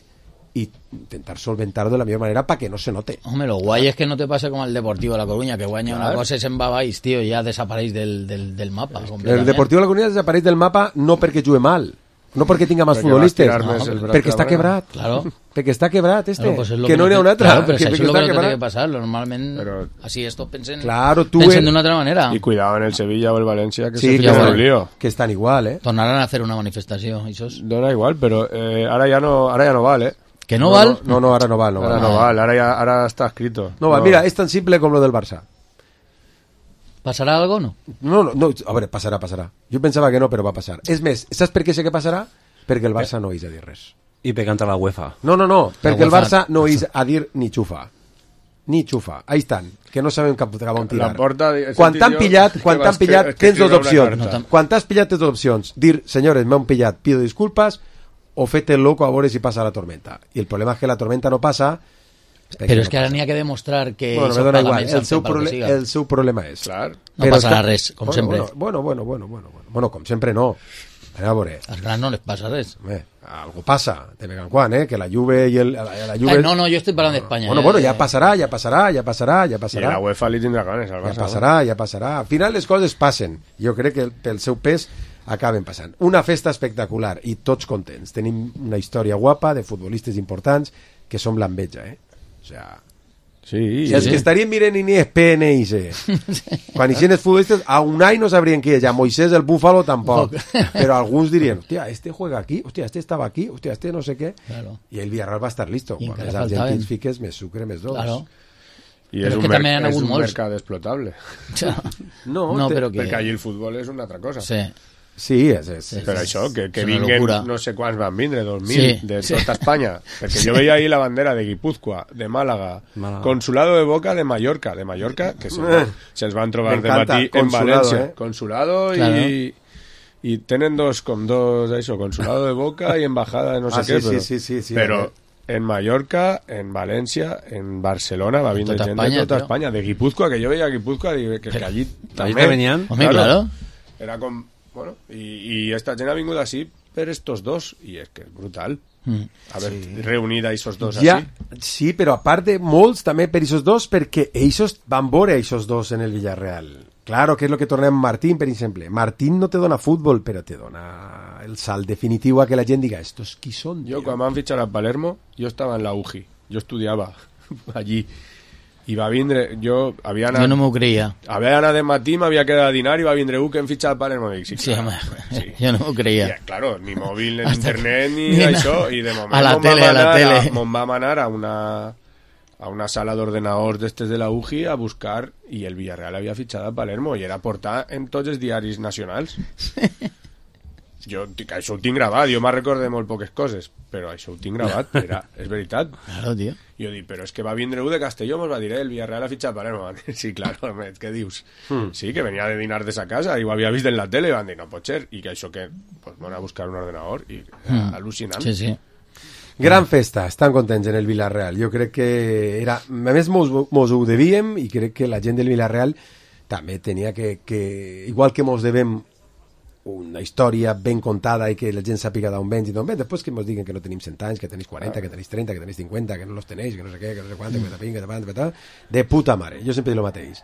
i intentar solventar-ho de la millor manera para que no se note. Hombre, lo guay es que no te pase como el Deportivo de La Coruña, que guaña claro. una cosa y se'n va baix, tío, ya desapareix del, del, del mapa. El Deportivo de La Coruña desapareix del mapa no perquè jugue mal, no perquè tinga més futbolistes, no, perquè està quebrat. Claro. Perquè està quebrat este, claro, pues que, que no n'hi ha un altre. Claro, pero que, eso es lo que no tiene que pasar. Normalment, pero, así estos pensen, claro, pensen de una otra manera. Y cuidado en el Sevilla o el Valencia, que sí, se que, un lío. Que están igual, ¿eh? Tornarán a hacer una manifestación. Esos. No da igual, pero eh, ahora ya no ahora ya no vale. ¿Que no, no vale? No, no, ahora no vale. No ahora vale, no vale, ahora, ya, ahora está escrito. No, no. Mira, es tan simple como lo del Barça. ¿Pasará algo o no? No, no, no, a veure, passarà, passarà. Jo pensava que no, però va passar. És més, saps per què sé que passarà? Perquè el Barça no és a dir res. I per cantar la UEFA. No, no, no, perquè el Barça no és a dir ni xufa. Ni xufa. Ahí estan, que no sabem cap, cap on tirar. Quan t'han pillat, quan t'han pillat, tens dues opcions. Quan t'has pillat, tens dues opcions. Dir, senyores, m'han pillat, pido disculpas, o fete el loco a veure si passa la tormenta. I el problema és que la tormenta no passa. Però és que ara n'hi ha que demostrar que bueno, me dona igual. El seu, prole el seu problema és clar. No passarà res, com bueno, sempre. Bueno, bueno, bueno, bueno, bueno, bueno, com sempre no. A veure. Als grans no les passa res. Bé, algo passa, de vegades en quan, eh? Que la Juve i el, la, la Juve... Ay, no, no, jo estic parlant d'Espanya. Bueno, eh? bueno, ja passarà, ja passarà, ja passarà, ja passarà. I la UEFA li tindrà ganes al Barça. Ja passarà, ja passarà. Al final les coses passen. Jo crec que pel seu pes acaben passant. Una festa espectacular i tots contents. Tenim una història guapa de futbolistes importants que som l'enveja, eh? O sea... Sí, si els sí. que estarien mirant ni es P N I C quan hicieron els futbolistes a un any no sabrían qui és, a Moisés el Búfalo tampoc, però alguns dirien hostia, este juega aquí, hostia, este estava aquí, hostia, este no sé què, claro. i el Villarreal va estar listo, I quan els argentins fiques més sucre, més dolç, claro. I és, un, mer és un mercat explotable. No, no però que... perquè allí el futbol és una altra cosa. Sí. Sí, és, és, és, però això, que, que és vinguen no sé quants van vindre, dos mil, sí, de sí. tota Espanya, perquè sí. jo veia ahí la bandera de Guipúzcoa, de Málaga, Málaga, Consulado de Boca de Mallorca, de Mallorca, que se, eh, se'ls van trobar de matí en València, eh? Consulado claro. i, i tenen dos, com dos, això, Consulado de Boca i Embajada de no sé ah, què, sí, però, sí, sí, sí, sí, però eh? en Mallorca, en València, en Barcelona, va vindre tota gent Espanya, de tota tío. Espanya, de Guipúzcoa, que jo veia Guipúzcoa, que, que allí també venien. Home, claro. Era com... Bueno, y, y esta gent ha vingut así per estos dos, y es que es brutal. Mm. Haver sí. reunit a esos dos ja, así. Sí, però a part de molts també per esos dos, perquè ells van veure esos dos en el Villarreal. Claro, que és lo que tornem Martín, per exemple. Martín no te dona futbol, però te dona el salt definitiu a que la gent diga, estos qui són? Jo, quan m'han fitxat a Palermo, jo estava en la U G I, jo estudiava allí. I va vindre, jo havia anat... Jo no m'ho creia. Havia anat de matí, m'havia quedat a dinar i va vindre un que em fitxa al Palermo. Dic, sí, sí, clar, home, sí. Jo no m'ho creia. I, claro, ni mòbil, ni internet, ni, ni això. I de moment a la tele, a la tele. Me'n vam anar a una, a una sala d'ordenadors d'estes de la U G I a buscar, i el Villarreal havia fitxat a Palermo, i era portar en tots els diaris nacionals. Jo, això ho tinc gravat, jo me'n recordo de molt poques coses, però això ho tinc gravat, era, és veritat. Claro, tío. Jo dic, però és que va vindre un de Castelló, mos va dir, eh, el Villarreal ha fitxat Palermo. Sí, claro, què dius? Hmm. Sí, que venia de dinar de sa casa i ho havia vist en la tele i van dir, no pot ser, i que això que, pues, van a buscar un ordenador i hmm. al·lucinant. Sí, sí. Gran festa, estan contents en el Villarreal. Jo crec que era... A més, mos, mos ho devíem i crec que la gent del Villarreal també tenia que... que igual que mos devem una història ben contada i que la gent sàpiga d'on vens i d'on vens, després que ens diguen que no tenim cent anys, que tenéis quaranta, que tenéis trenta, que tenéis cinquanta, que no los tenéis, que no sé què, que no sé quant, que tapin, que tapin, que tapin, de puta mare. Jo sempre dic el mateix.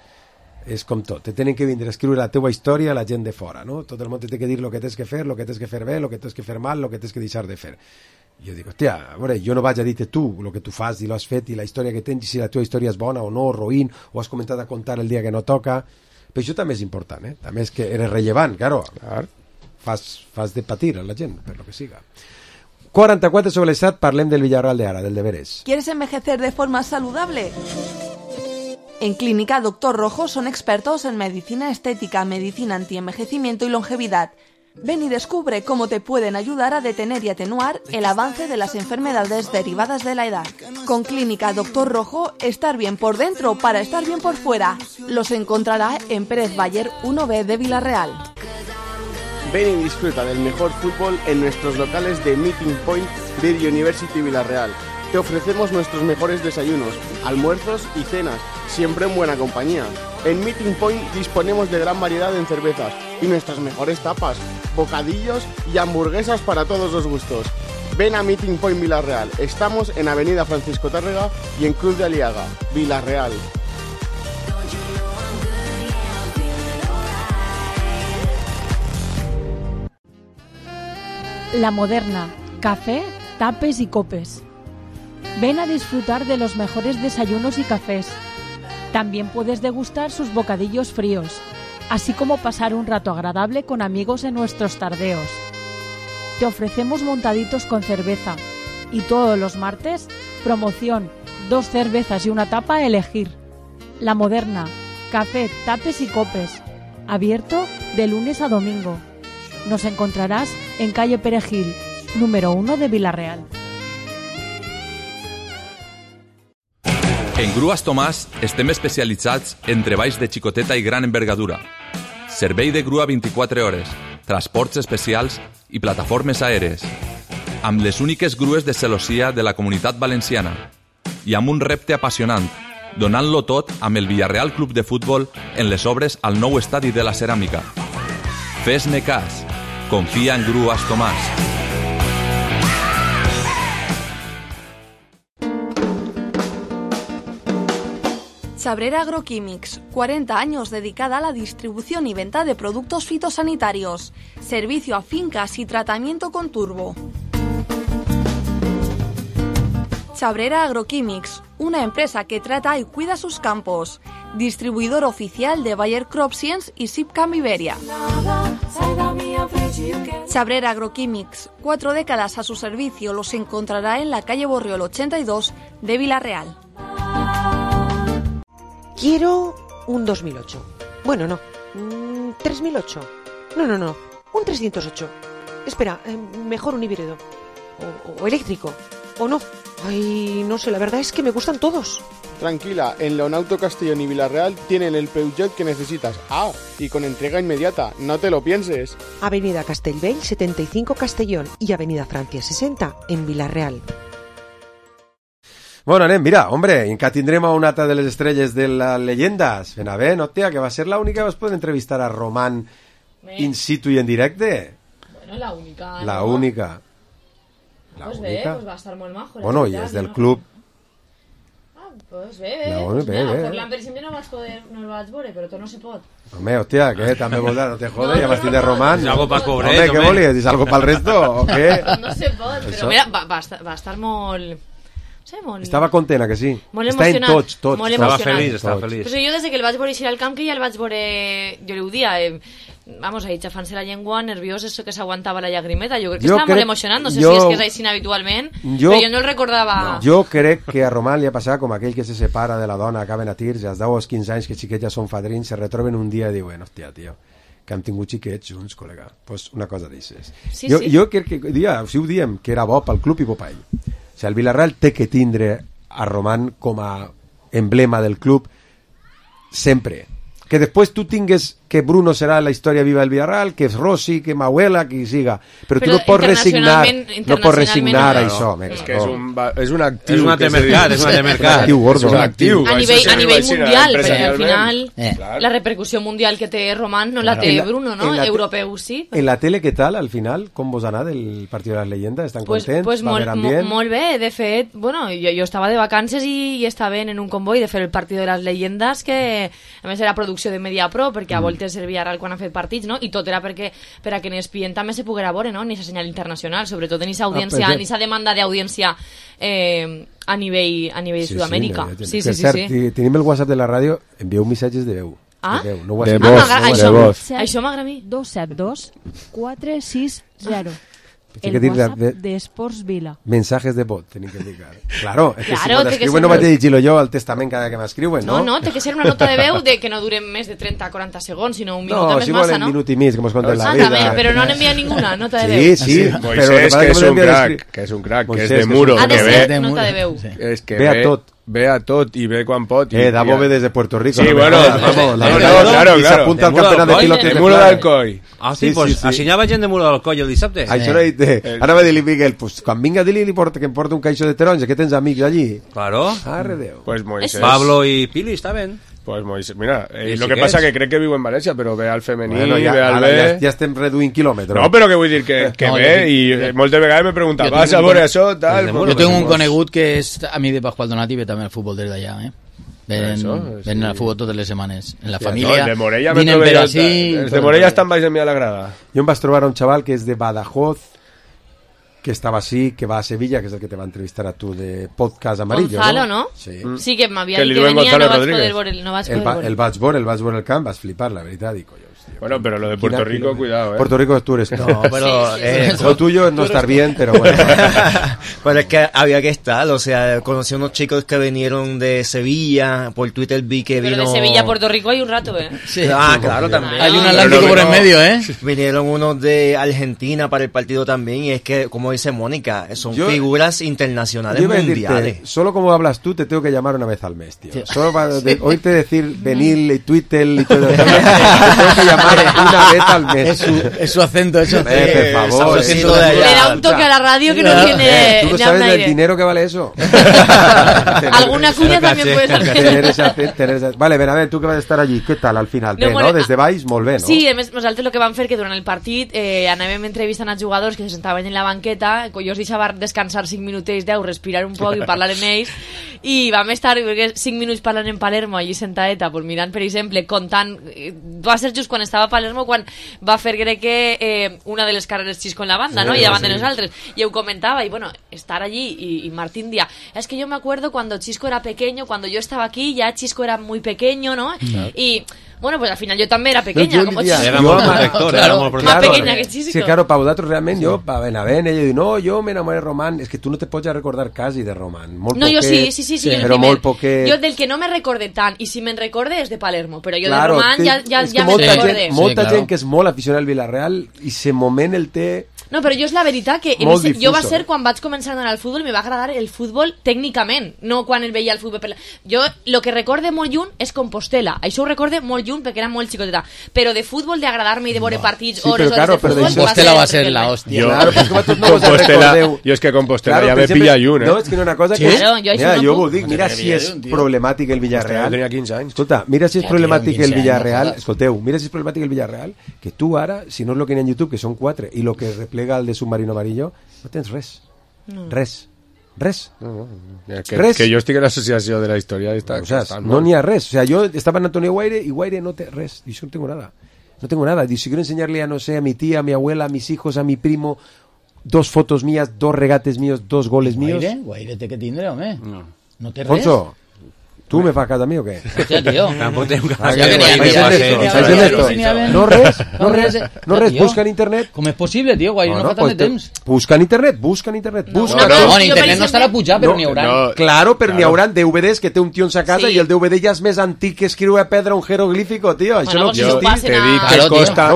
És com tot. Te tenen que vindre a escriure la teua història a la gent de fora, no? Tot el món te té que dir el que tens que fer, el que tens que fer bé, el que tens que fer mal, el que tens que deixar de fer. Jo dic, hòstia, a veure, jo no vaig a dir-te tu el que tu fas i l'has fet i la història que tens, si la teva història és bona o no, roïn, o has comentat a contar el dia que no toca. Però això també és important, eh? També és que eres rellevant, claro. Clar. Fas, fas de patir a la gent, per lo que siga. quaranta-quatre sobre les set, parlem del Villarreal de ara, del deberes. ¿Quieres envejecer de forma saludable? En Clínica Doctor Rojo son expertos en medicina estética, medicina antienvejecimiento y longevidad. Ven y descubre cómo te pueden ayudar a detener y atenuar el avance de las enfermedades derivadas de la edad. Con Clínica Doctor Rojo, estar bien por dentro para estar bien por fuera. Los encontrará en Pérez Bayer uno B de Villarreal. Ven y disfruta del mejor fútbol en nuestros locales de Meeting Point Beer University Villarreal. Te ofrecemos nuestros mejores desayunos, almuerzos y cenas, siempre en buena compañía. En Meeting Point disponemos de gran variedad en cervezas y nuestras mejores tapas, bocadillos y hamburguesas para todos los gustos. Ven a Meeting Point Villarreal. Estamos en Avenida Francisco Tárrega y en Cruz de Aliaga, Villarreal. La Moderna, café, tapes y copes. Ven a disfrutar de los mejores desayunos y cafés. También puedes degustar sus bocadillos fríos, así como pasar un rato agradable con amigos en nuestros tardeos. Te ofrecemos montaditos con cerveza y todos los martes, promoción, dos cervezas y una tapa a elegir. La Moderna, café, tapes y copes, abierto de lunes a domingo. Nos encontrarás en calle Perejil, número uno de Villarreal. En Grues Tomàs estem especialitzats en treballs de xicoteta i gran envergadura. Servei de grua vint-i-quatre hores, transports especials i plataformes aèries. Amb les úniques grues de celossia de la Comunitat Valenciana. I amb un repte apassionant, donant-lo tot amb el Villarreal Club de Futbol en les obres al nou estadi de la Ceràmica. Fes-ne cas. Confia en Grues Tomàs. Chabrera Agroquímics, cuarenta años dedicada a la distribución y venta de productos fitosanitarios, servicio a fincas y tratamiento con turbo. Chabrera Agroquímics, una empresa que trata y cuida sus campos, distribuidor oficial de Bayer Crop Science y Sipcam Iberia. Chabrera Agroquímics, cuatro décadas a su servicio, los encontrará en la calle Borriol ochenta y dos de Villarreal. Quiero un dos mil ocho. Bueno, no. Mm, tres mil ocho. No, no, no. Un trescientos ocho. Espera, eh, mejor un híbrido. O, o eléctrico. O no. Ay, no sé, la verdad es que me gustan todos. Tranquila, en Leonauto Castellón y Villarreal tienen el Peugeot que necesitas. Ah, y con entrega inmediata, no te lo pienses. Avenida Castellbell setenta y cinco Castellón y Avenida Francia sesenta en Villarreal. Bueno, anem, mira, hombre, encara tindrem a una altra de les estrelles de les llegendes. Ben a ver, no, tia, que va ser la única que vas poder entrevistar a Román bé. In situ i en directe. Bueno, la única, La ¿no? única. La pues bé, pues va estar molt majo. Bueno, i és del club. Ah, pues bé, bé. La Pues bé, mira, bé. Forlán, per exemple, no vas poder, no el vaig veure, però tu no se pot. Home, hòstia, què? També vols dar, no te jode, No, ja vas no, tindre no, Román. no. És algo pa'l pobret, Home, què home. volies? És algo pel resto, o què? No se pot, però Això. mira, va, va, estar, va estar molt... No sé, molt... Estava contena, que sí? Molt Està en emocionat. tots, tots. Molt Estava emocionat. feliç, estava Tots. feliç. Pues jo des de que el vaig veure eixir al camp, que ja el vaig veure, jo li ho dia, eh, vamos, ahí xafant-se la llengua, nerviós, eso que s'aguantava la llagrimeta, jo crec que Jo estava crec- molt emocionant, no sé jo- si és que és així habitualment, jo- però jo no el recordava... Jo crec que a Román li ha passat com aquell que se separa de la dona, acaben a tirs, i als deu o als quinze anys que xiquets ja són fadrins, se retroben un dia i diuen, hòstia, tio, que hem tingut xiquets junts, col·lega. Pues una cosa d'aixes. Sí, jo, sí. jo crec que, dia, si ho diem, que era bo pel club i bo per ell. O sigui, el Villarreal té que tindre a Román com a emblema del club sempre. Que després tu tingues que Bruno serà la història viva del Villarreal, que és Rossi, que Mauela, qui siga, però, tu Però no pots resignar internacionalment- no pots resignar internacionalment a no. això. me És que cago. és un, va- és un actiu. És una que temercat, se- és una temercat. És un actiu gordo. És un actiu. A Això nivell, se a nivell imagina mundial, perquè al empresarialment. final Eh. Clar. la repercussió mundial que té Román no la Claro. té En la- Bruno, no? en la te- Europeu sí. En la tele, què tal, al final? Com vos ha anat el partit de les llegendes? Estan Pues, contents? pues Va molt, haver mo- ambient? molt bé, de fet, bueno, jo, jo estava de vacances i, i estava en un comboi de fer el partit de les llegendes, que a més era producció de Mediapro, perquè a voltes el Villarreal quan ha fet partits, no? I tot era perquè per a que en E S P N també se poguera veure, no? Ni esa senyal internacional, sobretot en esa audiència, Ah, pues, en esa demanda d'audiència eh, a nivell, a nivell Sí, Sud-amèrica. sí, Sí, per sí, sí, cert, sí. ti- tenim el WhatsApp de la ràdio, envieu missatges de veu. Ah? De veu, no De WhatsApp. voz, m'agrada- de això- voz. Això m'agrada a mi. dos set dos quatre sis zero. El que WhatsApp de, de Sports Vila. Mensajes de bot, tenim que dir. Claro, és que claro, si m'escriuen no vaig a llegir-lo jo al testament cada que m'escriuen, no? No, no, té que ser una nota de veu de que no dure més de trenta a quaranta segons, sinó un minut no, més si massa, volen no? minut i mig, que mos conten la ah, vida. També, però no han enviat ninguna nota de veu. veu. Sí, sí. Moisés, que, que és un crack, que és un crack, que és de muro. Ha de ser nota de veu. És que ve a tot. Ve a tot i ve quan pot. Eh, Davo ve desde Puerto Rico. Sí, bueno, vamos, claro, y se apunta al campeonato de pilotos de Muro d'Alcoi. Ah, sí, pues assenyava gent de Muro d'Alcoi el dissabte. Això no dit. Ara va dir-li Miguel, pues quan vinga dir-li que em porta un caixó de taronja, que tens amics allí. Claro. Arre Déu. Pues Moisés. Pablo y Pili estaven. Pues Moisés, mira, eh, lo que pasa que crec que viu en València, però ve al femení, bueno, ja, ve al B... B... Ja, ja estem reduint quilòmetres. No, però que vull dir que, que no, ve jo, i jo, moltes vegades me pregunta, vas a veure això, tal... Jo tengo un conegut que és amic de Pascual Donati i ve també al futbol des d'allà, eh? Ven, eso, ven sí. al futbol totes les setmanes. En la família, no, de Morella vinen per així... Els de Morella estan baix de mi a la grada. Jo em vaig trobar un xaval que és de Badajoz, que estaba así, que va a Sevilla, que es el que te va a entrevistar a tú de Podcast Amarillo, Gonzalo, ¿no? ¿no? Sí. Mm. Sí, que m'havia dit que venia, no vaig poder veure no vaig el, poder el vaig veure, el vaig veure el camp, vas flipar, la veritat, dic, coño. Bueno, pero lo de Puerto Rico, Quina, cuidado, ¿eh? Puerto Rico tú eres... No, pero... Sí, sí, eh, sí. Lo tuyo es no estar bien, pero bueno. Pero es que había que estar, o sea, conocí unos chicos que vinieron de Sevilla, por Twitter vi que vino... Pero de Sevilla a Puerto Rico hay un rato, ¿eh? Sí. Ah, claro, también. Hay un Atlántico por el medio, ¿eh? Vinieron unos de Argentina para el partido también, y es que, como dice Mónica, son yo, figuras internacionales yo mundiales. Decirte, solo como hablas tú, te tengo que llamar una vez al mes, tío. Sí. Solo para de, oírte decir venir y Twitter y todo eso, te tengo que llamar una vez al mes. Es su, es su acento, eso. Eh, por favor. Sí, le da un toque a la radio que no tiene... Eh, ¿Tú no sabes del dinero que vale eso? Alguna cuña también puedes hacer. Tener esa, tener esa... Vale, ben, a ver, tu que vas estar allí, què tal al final? Bé, no, no? Des de baix, molt bé, no? Sí, a més, nosaltres el que vam fer que durant el partit eh, anàvem entrevistant als jugadors que se sentaven en la banqueta, jo els deixava descansar cinc minutets, deu, respirar un poc i parlar amb ells, i vam estar cinc minuts parlant en Palermo allí sentadeta, pues mirant, per exemple, contant, va ser just quan estava a Palermo quan va fer, crec que eh, una de les carreres Xisco en la banda, sí, ¿no? Y davant sí. de nosaltres, i ho comentava, i bueno, estar allí, y, y Martín dia, es que yo me acuerdo cuando Xisco era pequeño, cuando yo estaba aquí, ya Xisco era muy pequeño, ¿no? No. Y bueno, pues al final yo también era pequeña, no, como diria, Xisco. Era molt protector, claro, era molt protector. Más pequeña que Xisco. Sí, claro, para vosaltres realment, jo, a Benavent, ella diu, no, jo m'enamoré de Román, és que tu no te pots recordar quasi de Román. Molt no, poquet, jo sí, sí, sí, sí, sí però molt poquet. Jo del que no me recorde tant, i si me'n recorde és de Palermo, però jo claro, de Román té, ja, ja, ja me'n recorde. Gent, molta sí, claro. gent que és molt aficionada al Villarreal i se moment el té... No, però jo és la veritat que molt mi, difuso, jo va ser eh? quan vaig començar a anar al futbol i me va agradar el futbol tècnicament, no quan el veia el futbol. Per la... Jo el que recorde molt lluny és Compostela, això ho recorde molt lluny perquè era molt xicoteta, però de futbol, d'agradar-me i de veure partits sí, hores, claro, hores de futbol... Compostela va ser la hòstia. Jo, claro, pues, com no Compostela, jo és que Compostela claro, ja me pilla lluny, eh? No, és que no una cosa sí? que... Claro, jo mira, no jo puc. ho dic, mira si és problemàtic el Villarreal. Tenia quinze anys. Escolta, mira si és problemàtic el Villarreal, escolteu, mira si és problemàtic el Villarreal, que tu ara, si no és lo que hi ha en YouTube, que són quatre, i lo que replega el de Submarino Amarillo, no tens res. No. Res. Res. No, no. Que, res. Que jo estic a l'associació de la història i està, o sea, està no n'hi ha res. O sea, yo estaba en Antonio Guaire y Guaire no te res. Y yo no tengo nada. No tengo nada. Y si quiero enseñarle a, no sé, a mi tía, a mi abuela, a mis hijos, a mi primo, dos fotos mías, dos regates míos, dos goles míos. Guaire, Guaire té que tindre, home. No. No té res. Alfonso, ¿tú me fas cas a mi o què? Hòstia, tio. Tampoc té un cas. No res, no res, no res, busca en internet. Com és possible, tio? Guaire no fa tant de temps. Busca en internet, busca en internet, busca. No, en internet no estarà pujat, però n'hi haurà. Claro, però n'hi haurà D V Ds que té un tio en sa casa i el D V D ja és més antic que escriure a pedra un jeroglífico, tio. Això no existeix. Te dic que costa,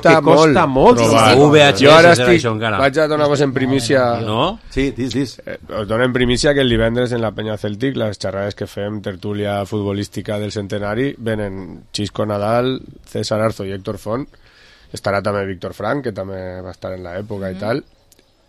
que costa molt. Jo ara estic, vaig a donar vos en primícia... No? Sí, dis, dis. Us dono en primícia que el divendres en la Penya Celtic, les xerrades que fem, tertúlia futbolística del centenari, venen Xisco Nadal, César Arzo i Héctor Font, estarà també Víctor Frank, que també va estar en l'època mm-hmm. i tal.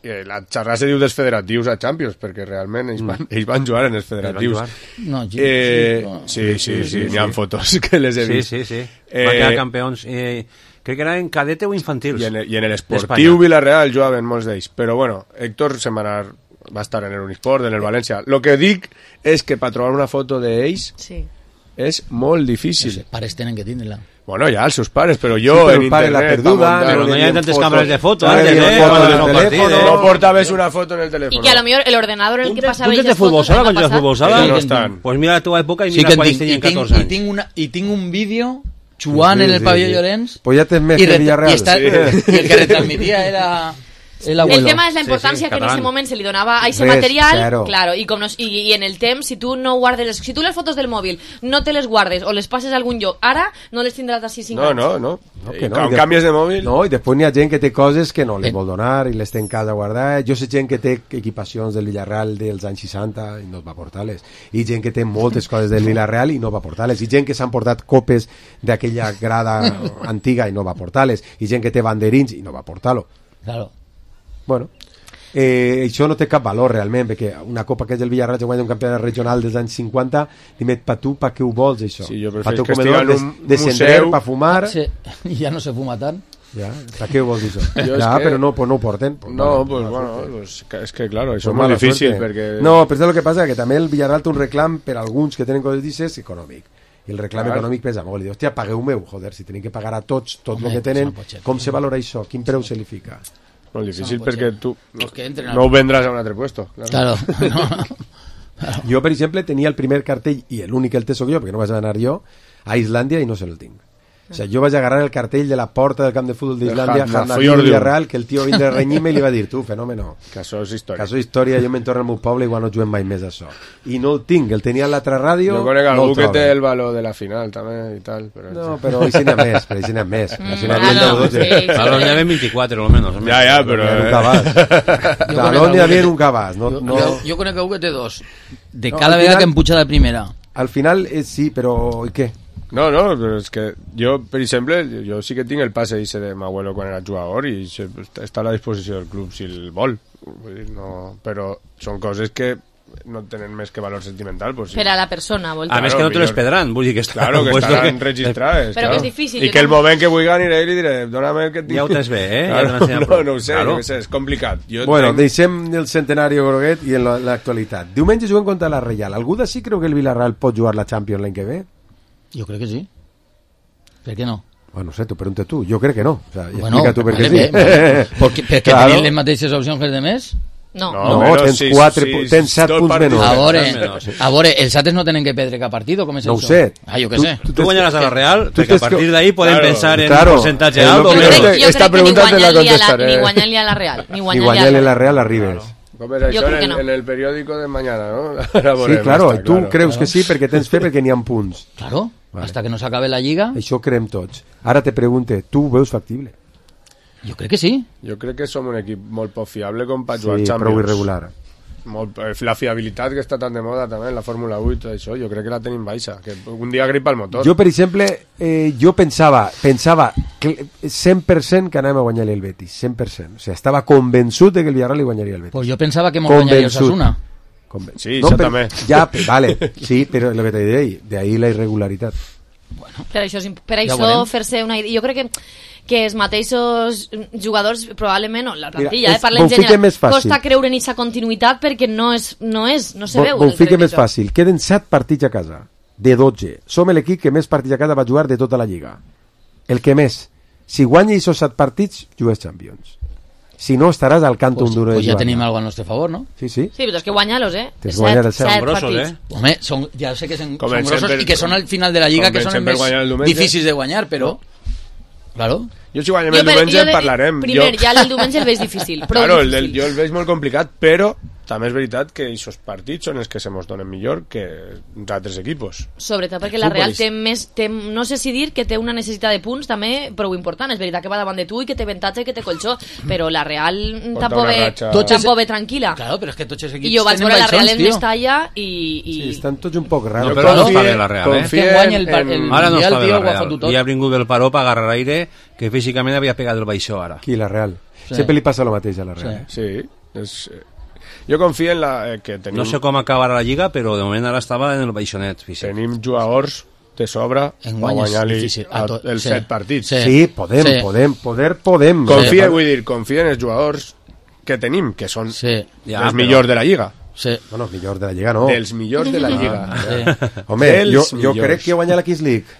I la xerrada se diu dels federatius a Champions, perquè realment ells van, ells van jugar en els federatius. No, sí, eh, sí, sí, sí, sí, n'hi ha fotos que les he vist. Sí, sí, sí. Eh, van quedar campions. Eh, crec que era en cadete o infantils. I en, i en l'esportiu Villarreal jugaven molts d'ells. Però bueno, Héctor se'n va anar, va estar en el Unisport, en el València. Lo que dic és que per trobar una foto d'ells sí. és molt difícil. Els pares tenen que tindre-la. Bueno, ja, els seus pares, però jo sí, però en internet... La perduda, però no hi ha tantes càmeres de foto. No, eh, no, foto en el teléfono. No portaves una foto en el teléfono. Y que a lo mejor el ordenador en el que pasaba... ¿Tú tens de futbol sala? ¿Cuántos de futbol sala? No estan. Pues mira la teva època i sí mira quan ells tenien catorze anys. I tinc, una, i tinc un vídeo jugant sí, sí, en el pavelló sí. Llorenç. Pues ja tens més que Villarreal. I, està, sí. I el que retransmitia era... El, el tema és la importància sí, sí, que en ese moment se li donava a ese material, claro, claro y, no, y, y en el temps, si tu no guardes les, si tu les fotos del mòbil no te les guardes o les passes a algun lloc, ara no les tindràs d'ací cinc no, anys. No, no, no. que no. Quan canvies de mòbil... No, i després n'hi ha gent que té coses que no les vol donar i les té en casa guardar. Jo sé gent que té equipacions del Villarreal dels anys seixanta i no va portar-les. I gent que té moltes coses del Villarreal i no va portar-les. I gent que s'han portat copes d'aquella grada antiga i no va portar-les. I gent que té banderins i no va portar-lo. Claro. Bueno, eh, això no té cap valor realment, perquè una copa que és el Villarreal que guanya un campionat regional dels anys cinquanta, dime, pa tu, pa què ho vols això? Sí, jo pa tu que comedor de, de sender, pa fumar... Sí, ja no se fuma tant. Ja, pa què ho vols això? Ja, que... però no, pues no ho porten. Pues no, vale, pues bueno, pues, és que claro, això pues és molt difícil perquè... No, però és el que passa, que també el Villarreal té un reclam per alguns que tenen coses d'ixes econòmic. I el reclam claro. Econòmic pesa molt. I diu, hòstia, pagueu-meu, joder, si tenim que pagar a tots tot el que tenen, com se valora això? Quin preu se li fica? Molt difícil perquè tu no, no ho vendràs a un altre puesto. Claro. Claro. No, no. Jo, per exemple, tenia el primer cartell, i l'únic que el té soc jo, perquè no vaig anar jo, a Islàndia i no se el tinc. O sea, jo vaig agarrar el cartell de la porta del camp de futbol d'Islàndia, Hannafior Villarreal, que el tio vindre a renyir-me i li va dir, tu, fenòmeno. Que això és història. Que això és història, jo me'n torno al meu poble i igual no juguem mai més això. I no el tinc, el tenia a l'altra ràdio... Jo conec algú no que té el valor de la final, també, i tal. Però... No, però així n'hi ha més, però així n'hi ha més. Talón n'hi havia veinticuatro, almenys. Ja, ja, però... Talón n'hi havia un cabàs. Jo conec algú que té dos. De cada vegada que em puja de primera. Al final, sí, però i què? No, no, però és que jo, per exemple, jo sí que tinc el passe ese de m'abuelo quan era jugador i està a la disposició del club si el vol. Vull dir, no, però són coses que no tenen més que valor sentimental. Pues, sí. Per a la persona, vol dir. A més que no te les pedran, vull dir que està... Claro, que estaran que... registrades. Però claro. Que és difícil. I que el moment que vull aniré i li diré, dóna'm el que et dic. Ja ho tens bé, eh? Claro, ja no, no ho sé, claro. No sé, és complicat. Jo bueno, tenc... deixem el centenari Groguet i en l'actualitat. Diumenge juguem contra la Reial. Algú d'ací creu que el Villarreal pot jugar la Champions l'any que ve? Jo crec que sí. ¿Por qué no? Bueno, no sé, tu pregunta tú. Yo creo que no. O sea, bueno, explica tú per vale, què sí. Bé, perquè, perquè claro. Tenien les mateixes opcions que els demés? No. No, no tens, sis, quatre, sis, tens set punts menys. A veure, a veure, els altres no tenen que perdre cap partit, com és no això? No ho sé. Ah, jo què tu, sé. Tu, tu guanyaràs a la Real, tu perquè a partir d'ahí podem claro, pensar en claro, un percentatge alt. alt. Jo crec, jo Esta crec que ni guanyar-li ni guanyar-li a la Real. Ni guanyar-li a la Real arribes. Claro. Com és això en, no. en el periòdico de mañana, ¿no? Sí, claro, està, tu claro. creus que sí perquè tens fe perquè n'hi ha punts. Claro, vale. Hasta que no s'acabe la lliga. Això creem tots. Ara te pregunte, tu ho veus factible? Jo crec que sí. Jo crec que som un equip molt poc fiable com per jugar sí, Champions. Prou irregular. Molt, la fiabilitat que està tan de moda també en la Fórmula vuit, això, jo crec que la tenim baixa, que un dia gripa el motor. Jo, per exemple, eh, jo pensava pensava cent per cent que anàvem a guanyar el Betis, cent per cent. O sigui, estava convençut de que el Villarreal li guanyaria el Betis. Pues jo pensava que m'ho guanyaria el Osasuna. Conven... Sí, no, això per... també. Ja, vale, sí, però el que t'he dit, de ahí la irregularitat. Bueno, per això, per això ja fer-se una idea... Jo crec que que els mateixos jugadors probablement, no, la plantilla, Mira, eh, parlem general, costa creure en aquesta continuïtat perquè no és, no és, no se veu. Ho fiquem més fàcil, queden set partits a casa, de dotze. Som l'equip que més partits a casa va jugar de tota la lliga. El que més. Si guanya aquests set partits, jugues Champions. Si no, estaràs al canto pues, un duro pues de ja tenim algo a nostre favor, no? Sí, sí. Sí, però és que guanya-los, eh? Tens guanyar el set grossos, eh? Home, son, ja sé que son, son grossos i que són al final de la lliga, que són els més difícils de guanyar, però... Claro. Jo si guanyem el diumenge jo de, parlarem. Primer, jo... ja el diumenge el veig difícil. Però claro, difícil. El, jo el veig molt complicat, però també és veritat que aquests partits són els que se mos donen millor que uns altres equipos. Sobretot perquè la Real té més, té, no sé si dir que té una necessitat de punts també prou important. És veritat que va davant de tu i que té avantatge i que té colxó, però la Real tampoc ve, tampoc ve tranquil·la. Claro, però és que tots els equips I jo vaig veure la Real en Mestalla i... i... Sí, estan tots un poc raros. No, però no està bé la Real, eh? Que guanya el, el, el ara no està bé la Real. I ha vingut el paró per agarrar aire que físicament havia pegat el baixó ara. Qui, la Real? Sí. Sempre li passa el mateix a la Real. Sí, sí. És... Jo confio en la, eh, que tenim... No sé com acabarà la lliga, però de moment ara estava en el baixonet físic. Tenim jugadors de sobre per guanyar-li els set partits. Sí, sí podem, sí. podem, poder podem. Confia, sí. vull dir, confia en els jugadors que tenim, que són sí. ja, els però... millors de la lliga. Sí. Bueno, els millors de la lliga no. Dels millors de la lliga. Sí. Home, jo, jo crec que guanya la Kings League.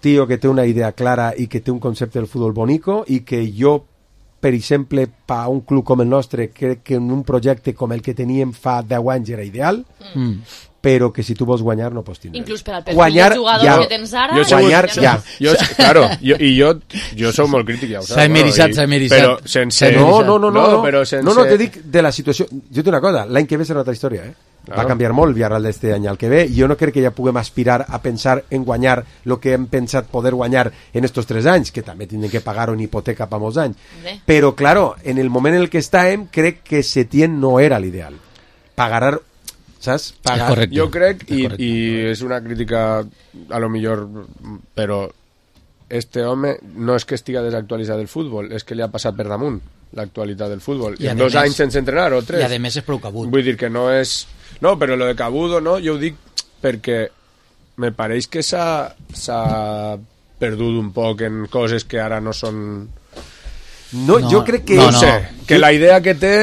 tio que té una idea clara i que té un concepte del futbol bonico i que jo, per exemple, per un club com el nostre, crec que en un projecte com el que teníem fa deu anys era ideal, mm. però que si tu vols guanyar no pots tindre. Inclús per al perfil guanyar, de jugador ja. que tens ara... Jo guanyar, segur, ja. Jo, claro, jo, i jo, jo sóc molt crític, ja ho saps. S'ha emeritzat, s'ha emeritzat. Però sense... No, no, no, no, no, però sense... no, no, te dic de la situació... Jo t'ho dic una cosa, l'any que ve serà una altra història, eh? Claro. Va canviar molt el Villarreal d'este any al que ve, i jo no crec que ja puguem aspirar a pensar en guanyar el que hem pensat poder guanyar en estos tres anys, que també tindrem que pagar una hipoteca per molts anys. Bé. Però, claro, en el moment en el que estàvem, crec que Setién no era l'ideal. Pagar, saps? Pagar. Correcte. Jo crec, i, i és una crítica a lo millor, però este home no és que estiga desactualitzat del futbol, és que li ha passat per damunt l'actualitat del futbol. I en dos més, anys sense entrenar, o tres. I a més és prou cabut. Vull dir que no és... No, però lo de cabudo, no, jo ho dic perquè me pareix que s'ha perdut un poc en coses que ara no són... No, no jo crec que... No, no sé, que la idea que té...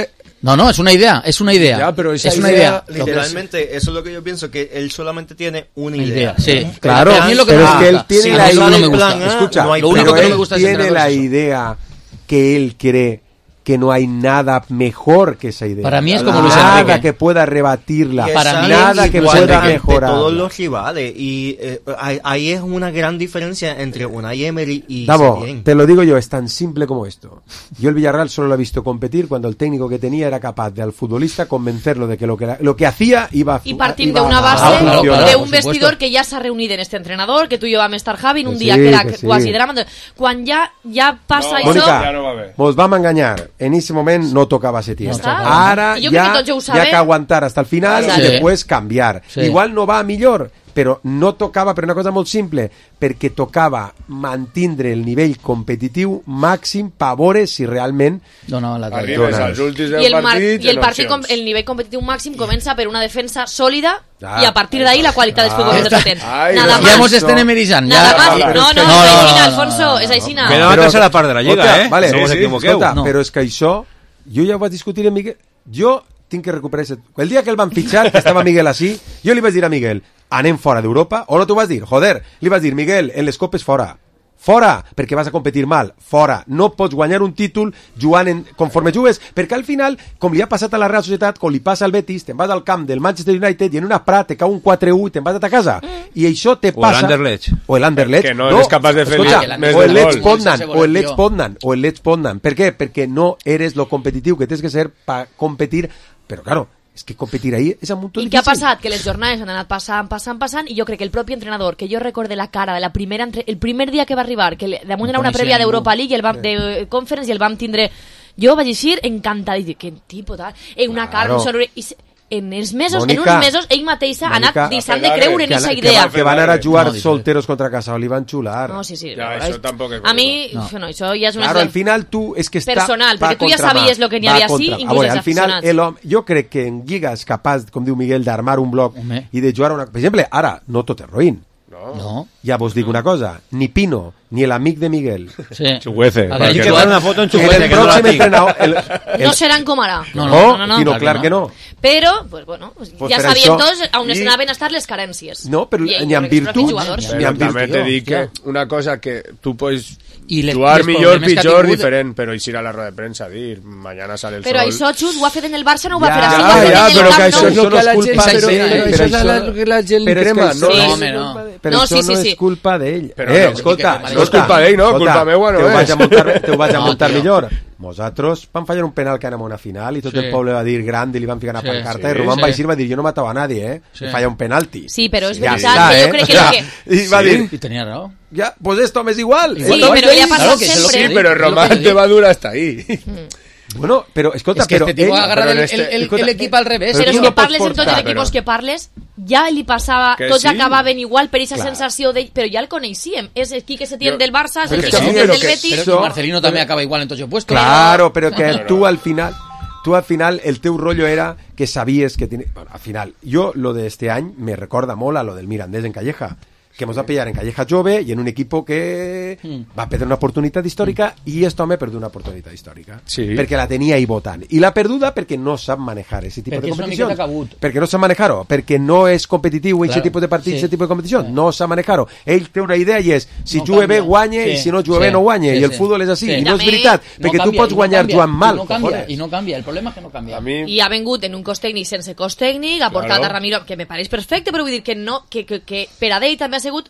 No, no, es una idea, es una idea. Ya, pero esa es una idea, idea. Literalmente, eso es lo que yo pienso, que él solamente tiene una idea. idea sí, claro, a mí es lo que pero me es que él tiene sí, la idea... No me gusta. Escucha, no hay lo único que no me gusta tiene la idea que él cree que no hay nada mejor que esa idea. Para mí es como Luis Enrique. Nada que pueda rebatirla. Para mí nada que pueda mejorar. todos los rivales. Y eh, ahí es una gran diferencia entre Unai Emery y Davo, Setién. te lo digo yo, es tan simple como esto. Yo el Villarreal solo lo he visto competir cuando el técnico que tenía era capaz de al futbolista convencerlo de que lo que, lo que hacía iba a Y partir iba de una a, base a claro, claro, de un vestidor que ya s'ha reunit en este entrenador, que tú y yo vam estar Javi en un que día sí, que era que sí. quasi drama. Quan ja, ja passa no, això... Mónica, ja no vos vam enganyar. En ese moment no tocaba Setién. No Ara yo ya, que ya que aguantar hasta el final sí. y después cambiar. Sí. Igual no va a millor, però no tocava per una cosa molt simple, perquè tocava mantindre el nivell competitiu màxim per veure si realment no, no, la arribes als últims I el, mar, partits i el, partit com, el nivell competitiu màxim comença per una defensa sòlida ah, i a partir d'ahí la qualitat dels futbolistes que tenen. Nada ja mos estem emerizant. Nada ja, más. Ja, no, no, no, és aixina, no, Alfonso, és aixina. Queda la tercera part de la Lliga, Escolta, eh? Vale, no sí, us sí, equivoqueu. Escolta, no. però és que això, jo ja ho vaig discutir amb Miguel, jo tinc que recuperar ese... El dia que el van fitxar, que estava Miguel així, jo li vaig dir a Miguel, anem fora d'Europa, o no t'ho vas dir? Joder, li vas dir, Miguel, en les copes fora. Fora, perquè vas a competir mal. Fora. No pots guanyar un títol jugant en, conforme jugues, perquè al final, com li ha passat a la Real Societat, com li passa al Betis, te'n vas al camp del Manchester United i en una Prat te cau un quatre u i te'n vas a ta casa. I això te passa... O l'Anderlecht. O l'Anderlecht. Que no eres capaç de fer Escolta, més o el del Leeds gol. Poznan, o el Leeds Poznan, o el Leeds Poznan. Per què? Perquè no eres lo competitiu que tens que ser per competir. Però, claro, és que competir ahí és molt difícil. I què ha passat? Que les jornades han anat passant, passant, passant, i jo crec que el propi entrenador, que jo recorde la cara de la primera entre... el primer dia que va arribar, que damunt era una prèvia d'Europa League, i el vam, de Conference, i el vam tindre... Jo vaig dir encantat, i dic, quin tipus tal... Eh, una cara, un sobre... I en els mesos, Mónica, en uns mesos, ell mateixa ha anat deixant de creure en aquesta idea. Que, que van anar a jugar no, solteros contra Casao, li van xular. No, sí, sí. Ja, això tampoc és a mi, no. no, això ja és una... Claro, al final tu és que està... Personal, perquè tu ja sabies lo que n'hi havia així, inclús els aficionats. Al final, jo crec que en Lliga és capaç, com diu Miguel, d'armar un bloc Home. i de jugar una... Per exemple, ara, no tot és roïn. No. no. Ja vos dic una cosa, ni Pino, ni el amic de Miguel. Sí. Chuguece. A ver, que jugar una foto en Chuguece. El pròxim entrenador... El, el... No seran com ara. No, no, no, no, no, clar que no. Però, pues bueno, pues pues ja sabien això, tots on es anaven a estar les carències. No, però I, ni en virtut... Però també te dic que una cosa que tu pots I les, jugar les millor, pitjor, tingut... diferent, però eixir a la roda de premsa a dir, mañana sale el però sol... Però això, Xus, ho ha fet en el Barça, no ho va ja, fer així. Ja, ja, però que això no. és el que la gent... Però, però, però, però això és la, la gent li crema, no? Sí. No, no. Però no, això sí, sí, no sí. és culpa d'ell. Però eh, no, escolta, no és culpa d'ell, no? Culpa meua no és. Te ho vaig a muntar no, millor. Nosaltres vam fallar un penal que anàvem a una final i tot sí. el poble va dir grande i li van ficar una sí, pancarta sí, i Román sí. Baixir va dir jo no matava a nadie, eh? Sí. I falla un penalti. Sí, però és ja veritat està, que jo eh? crec que... Ja. que... I va dir... I tenia raó. Ja, pues esto m'és igual. Sí, sí però li ha passat claro, sempre. Sí, però Román te va dur hasta ahí. Bueno, però escolta, es que però este tipo ell, agarra però el, este, el, el, escolta, el equip al revés. Però és no que parles portar, en tots els equipos però... que parles, ja li passava, que tots sí. acabaven igual per aquesta Clar. sensació d'ell, però ja el coneixíem. És el Quique Setién Jo... del Barça, és el Però Quique sí, Setién però del que Betis... això- Pero Marcelino también acaba igual en todo ese puesto. Claro, pero que tú al final, tú al final, el teu rollo era que sabías que tiene... Bueno, al final, yo lo de este año me recorda molt a lo del Mirandés en Calleja, que hemos va a pillar en Calleja jove y en un equipo que va a perder una oportunitat històrica i esto me perdió una oportunitat històrica sí. perquè la tenia ahí votant i la perduda perquè no sap manejar ese tipo perquè de competició perquè no sap manejar-ho, perquè no és competitiu claro. Ese tipus de partits, sí. Ese tipus de competició sí. No sap manejar-ho, ell té una idea i és si no jugue bé guanye sí. I si no jugue sí. Bé no guanye sí, i el sí. Futbol és així sí. I no és veritat no perquè canvia, tu pots guanyar no jugant mal i no canvia, i no canvia, el problema és que no canvia a mi... i ha vengut en un cos tècnic sense cos tècnic, ha portat claro. A Ramiro, que me pareix perfecte, però vull dir que no, que, que, que per a ell també ha sigut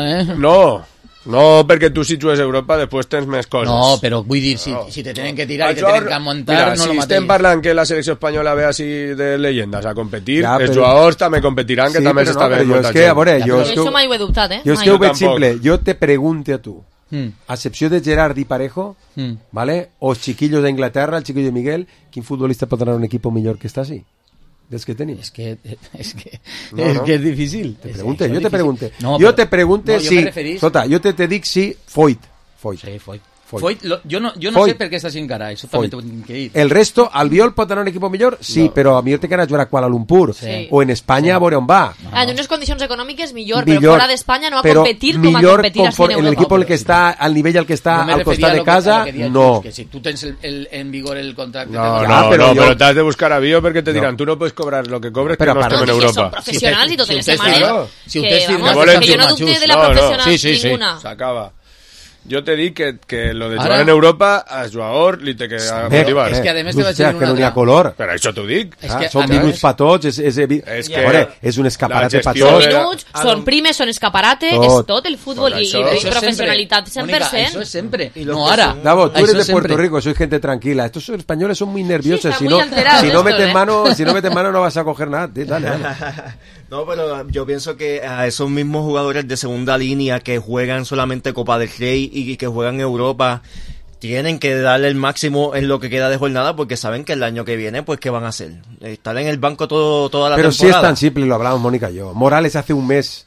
eh? No, no, perquè tu si jugues a Europa després tens més coses. No, però vull dir, si, si te tenen que tirar i te tenen que muntar, mira, no si lo mateix. estem parlant que la selecció espanyola ve així de leyendes a competir, Ja, els però- jugadors també competiran, que Sí, també però s'està no, però veient jo molta és que, a gent. veure, jo Jo és que... això mai ho he dubtat, eh? Jo és Mai. que ho veig tampoc. simple. Jo te pregunte a tu, Mm. a excepció de Gerard y Parejo, Mm. ¿vale? O els chiquillos d'Inglaterra, el chiquillo de Miguel, quin futbolista pot anar a un equip millor que està així? Dels que tenim. És que, és que, No, és, no. que és difícil. Te És- pregunte, això jo és te difícil. pregunte. No, jo però- te pregunte no, jo si... me referís- Escolta, jo te, te dic si Foyt. Foyt. Sí, Foyt. Foyt, lo, jo no, jo no Foyt. sé per què està sin cara, això també t'ho tinc que dir. El resto, Albiol pot anar a un equip millor? Sí, no. Però a millor té que anar a jugar a Kuala Lumpur sí. o en Espanya sí. a veure on va. No. En unes condicions econòmiques millor, millor, però fora d'Espanya no va a competir com a competir així en Europa. En l'equip al que està, al nivell al que està no al costat de casa, que, no. Que si tu tens el, el, en vigor el contracte... No, no, no, però, no, però t'has de buscar avió perquè te diran, tu no puedes cobrar lo que cobres que no estem en Europa. Són professionals i totes les setmanes. Si usted que jo no dubte de la professional ninguna. S'acaba. Jo te dic que, que lo de jugar en Europa a jugador li té que motivar. És que a més te vaig dir una... que no hi ha color. Per això t'ho dic. Ah, són minuts pa tots, és, és, és, que veure, és un escaparate pa tots. Són minuts, són primes, són escaparate, tot. És tot el futbol i, i, i professionalitat cent per cent. Mónica, això és sempre, no ara. Davo, tú eres de Puerto Rico, sois gente tranquila. Estos españoles son muy nerviosos. Sí, si, no, si, no metes mano, si no metes mano no vas a coger nada. Dale, dale. No, pero yo pienso que a esos mismos jugadores de segunda línea que juegan solamente Copa del Rey y que juegan en Europa tienen que darle el máximo en lo que queda de jornada porque saben que el año que viene pues qué van a hacer, estar en el banco todo, toda la pero temporada. Pero sí es tan simple, lo hablamos Mónica y yo. Morales hace un mes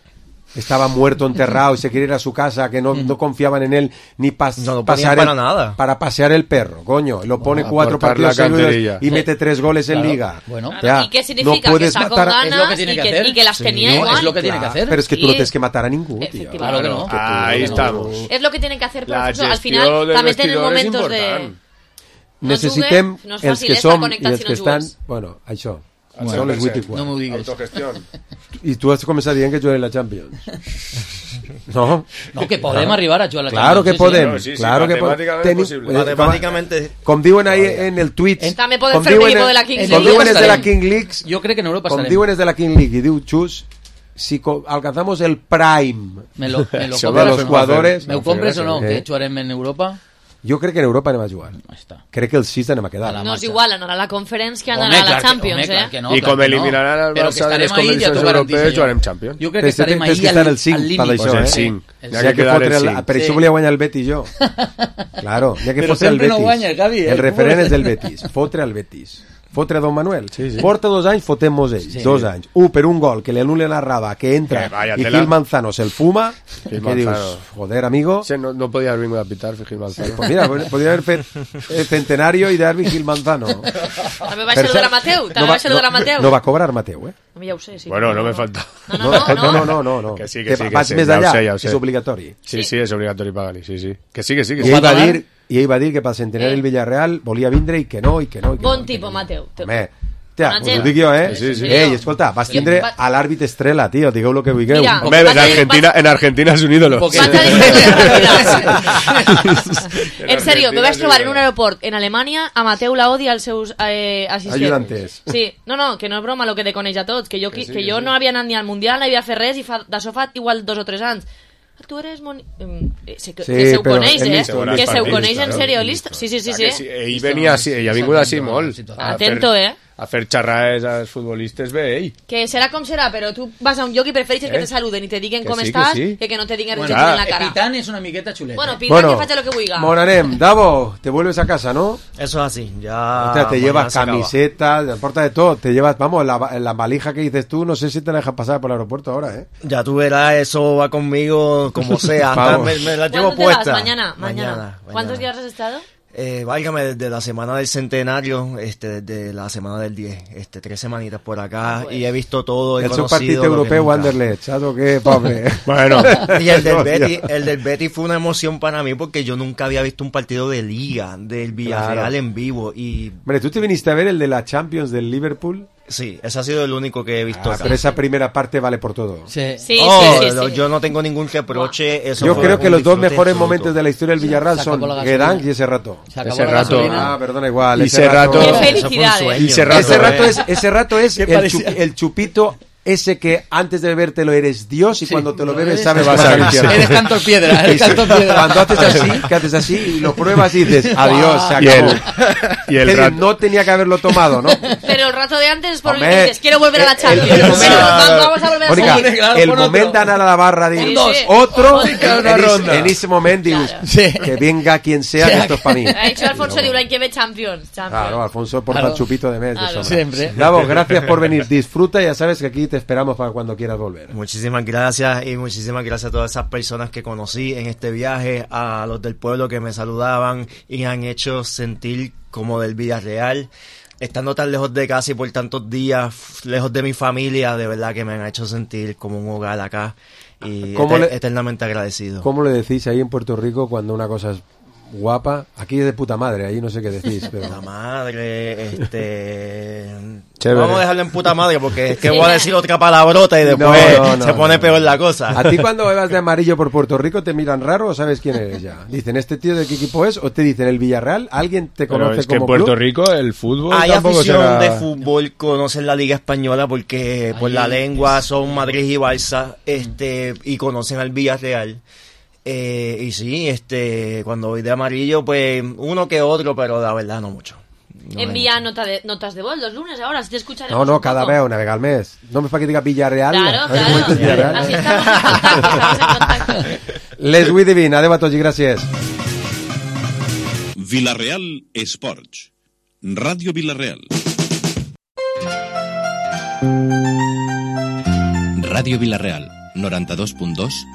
estaba muerto, enterrado y se quería ir a su casa, que no, no confiaban en él ni pas, no, no pasar para, el, nada. para pasear el perro, coño, lo pone no, cuatro partidos seguidos y mete tres goles en claro. liga. Bueno, ya, ¿y qué significa? No que sacó ganas es lo que tiene y, que, que, y que las sí, tenía no, igual. Es lo que tiene claro, que hacer. Pero es que tú sí. no tienes que matar a ningún, tío. Claro que no. Que Ahí estamos. Es lo que tienen que hacer, pero al final también tienen momentos de... Necessitem els que som i els que estan... Bueno, això. Bueno, no, les no m'ho digues. Autogestió. I tu has començat dient que juguem la Champions. No? No, que podem no. arribar a jugar a la claro Champions. Que podem. Sí, sí, sí, claro sí, que podem. Tenim, Matemáticamente. Com diuen ahí en el tweet. També podem fer un equipo de la Kings League. Com diuen és de la King League. Jo crec que en Europa Com estarem. diuen és de la King League i diu Chus, si alcanzamos el prime me lo, me lo de los jugadores... ¿Me ho compres o no? Que jugarem en Europa? Jo crec que en Europa anem a jugar. Crec que els sis anem a quedar. No és igual anar a la Conference que anar a la Champions, eh? Que no, I com eliminaran el Barça de les competicions europees, jugarem Champions. Jo crec que estarem ahí al límit. Pues el cinc. Per això volia guanyar el Betis jo. Claro, ja que fotre el Betis. El referent és del Betis. Fotre al Betis. Fotre a Don Manuel. Sí, sí. Porta dos anys, fotem-nos ells. Sí. Dos anys. Un per un gol que li anul·len a Raba, que entra que i Gil Manzano se'l fuma. Gil que dius, joder, amigo. Sí, no, no podía haber venido a pitar Gil Manzano. Pues mira, podría haber fet el centenario i d'Arbi Gil Manzano. També va saludar a Mateu. També no va saludar a Mateu. No va cobrar Mateu, eh? Ja ho sé, sí. Bueno, no me falta. No, no, no. No, no, no. no, no. Que sí, que sí. Que vas sí, més ja allà, ho sé, ja ho sé. és obligatori. Sí, sí, és obligatori pagar-li, sí, sí. Que sí, que sí. Que I ell va dir, i ell va dir que pel centenari del Villarreal volia vindre i que no, i que no. I que bon no, tipus, Mateu. Home, tia, us ho dic jo, eh? Sí, sí. Ei, escolta, vas tindre a l'àrbit estrella, tio, digueu lo que vulgueu. Mira, Home, en Argentina, en Argentina és un ídolo. En serio, me vaig trobar en un aeroport en Alemanya a Mateu Laodi i als seus eh, assistents. Ayudantes. Sí, no, no, que no és broma lo que te coneix a tots, que jo, que, que jo no havia anat ni al Mundial, no havia fet res i fa, d'això fa igual dos o tres anys. Tu eres Moni... Eh, se, que, sí, que se ho coneix, eh? Que se ho coneix en serio, listo. Sí, sí, sí, sí. sí. Ell venia així, ell ha vingut així molt. Atento, eh? A fer xerrades als futbolistes bé, ell. Que serà com serà, però tu vas a un lloc i prefereixes eh? que te saluden i te diguen que com sí, estàs que, sí. que que no te diguen bueno, res en la cara. Pitant és una miqueta xuleta. Bueno, Pitant bueno, que faig lo que vulga. Bon anem. Davo, te vuelves a casa, ¿no? Eso es así, ya... O sea, te llevas camisetas, te importa de todo, te llevas, vamos, la, la valija que dices tú, no sé si te la dejas pasar por el aeropuerto ahora, ¿eh? Ya tú verás, eso va conmigo como sea, hasta me, me la llevo puesta. Te vas? Mañana, mañana, mañana. ¿Cuántos días has estado? Eh, válgame, desde la semana del centenario, este, desde la semana del diez, este, tres semanitas por acá, pues. Y he visto todo, he el conocido partido europeo Anderlecht, ¿sabes qué, pobre? Bueno. Y el del Betis, el del Betis fue una emoción para mí porque yo nunca había visto un partido de liga, del Villarreal claro. en vivo, y... Hombre, ¿tú te viniste a ver el de la Champions del Liverpool? Sí, ese ha sido el único que he visto. Ah, pero esa primera parte vale por todo. Sí, sí, oh, sí, sí, sí. Yo no tengo ningún reproche. Eso yo creo que los dos mejores absoluto. momentos de la historia del Villarreal son Guedán y ese rato. Ese rato. Ah, perdona, igual. Y ese rato. Qué felicidad. Y ese rato, ese rato es, ese rato es el, chup, el chupito. Ese que antes de bebértelo eres Dios y sí, cuando te lo bebes sabes que vas al infierno. Eres canto piedra, eres canto piedra. Cuando haces así, que haces así y lo pruebas y dices, adiós, se acabó. Y el, y el rato... No tenía que haberlo tomado, ¿no? Pero el rato de antes es por Hombre, el que dices, quiero volver a la Champions. El, el, el, vamos a volver Mónica, a salir. Claro, el moment d'anar a la barra de sí, sí. otro, sí, en, en, en ese momento dius, sí. que venga quien sea, sí. que esto es para mí. Ha dicho Alfonso de Urain que ve Champions. Champions. Claro, Alfonso porta claro. el chupito de mes. Claro. De Siempre. Davo, gracias por venir. Disfruta, ya sabes que aquí te te esperamos para cuando quieras volver. Muchísimas gracias y muchísimas gracias a todas esas personas que conocí en este viaje, a los del pueblo que me saludaban y han hecho sentir como del Villarreal. Estando tan lejos de casa y por tantos días lejos de mi familia, de verdad que me han hecho sentir como un hogar acá y et- le, eternamente agradecido. ¿Cómo le decís ahí en Puerto Rico cuando una cosa es guapa? Aquí es de puta madre, ahí no sé qué decís. Pero... Puta madre, este... Chévere. Vamos a dejarlo en puta madre porque es que voy a decir otra palabrota y después no, no, no, se pone no, peor la cosa. ¿A ti cuando vas de amarillo por Puerto Rico te miran raro o sabes quién eres ya? Dicen, ¿este tío de qué equipo es? ¿O te dicen el Villarreal? ¿Alguien te conoce pero es como que en Puerto club? Rico el fútbol hay tampoco afición será... de fútbol, conocen la Liga Española porque por la lengua son Madrid y Barça, este, y conocen al Villarreal. Eh, y sí, este, cuando voy de amarillo, pues uno que otro, pero la verdad no mucho. No Envía nota de, notas de voz los lunes ahora, si te escucharemos. No, no, un cada poco. vez una vez al mes. No me fa que diga Villarreal. Claro, a claro. Villarreal. Así estamos en contacto, estamos en contacto. Les vull divin, adeu a tots i gràcies. Villarreal Esports. Ràdio Villarreal. Ràdio Villarreal, noranta-dos punt dos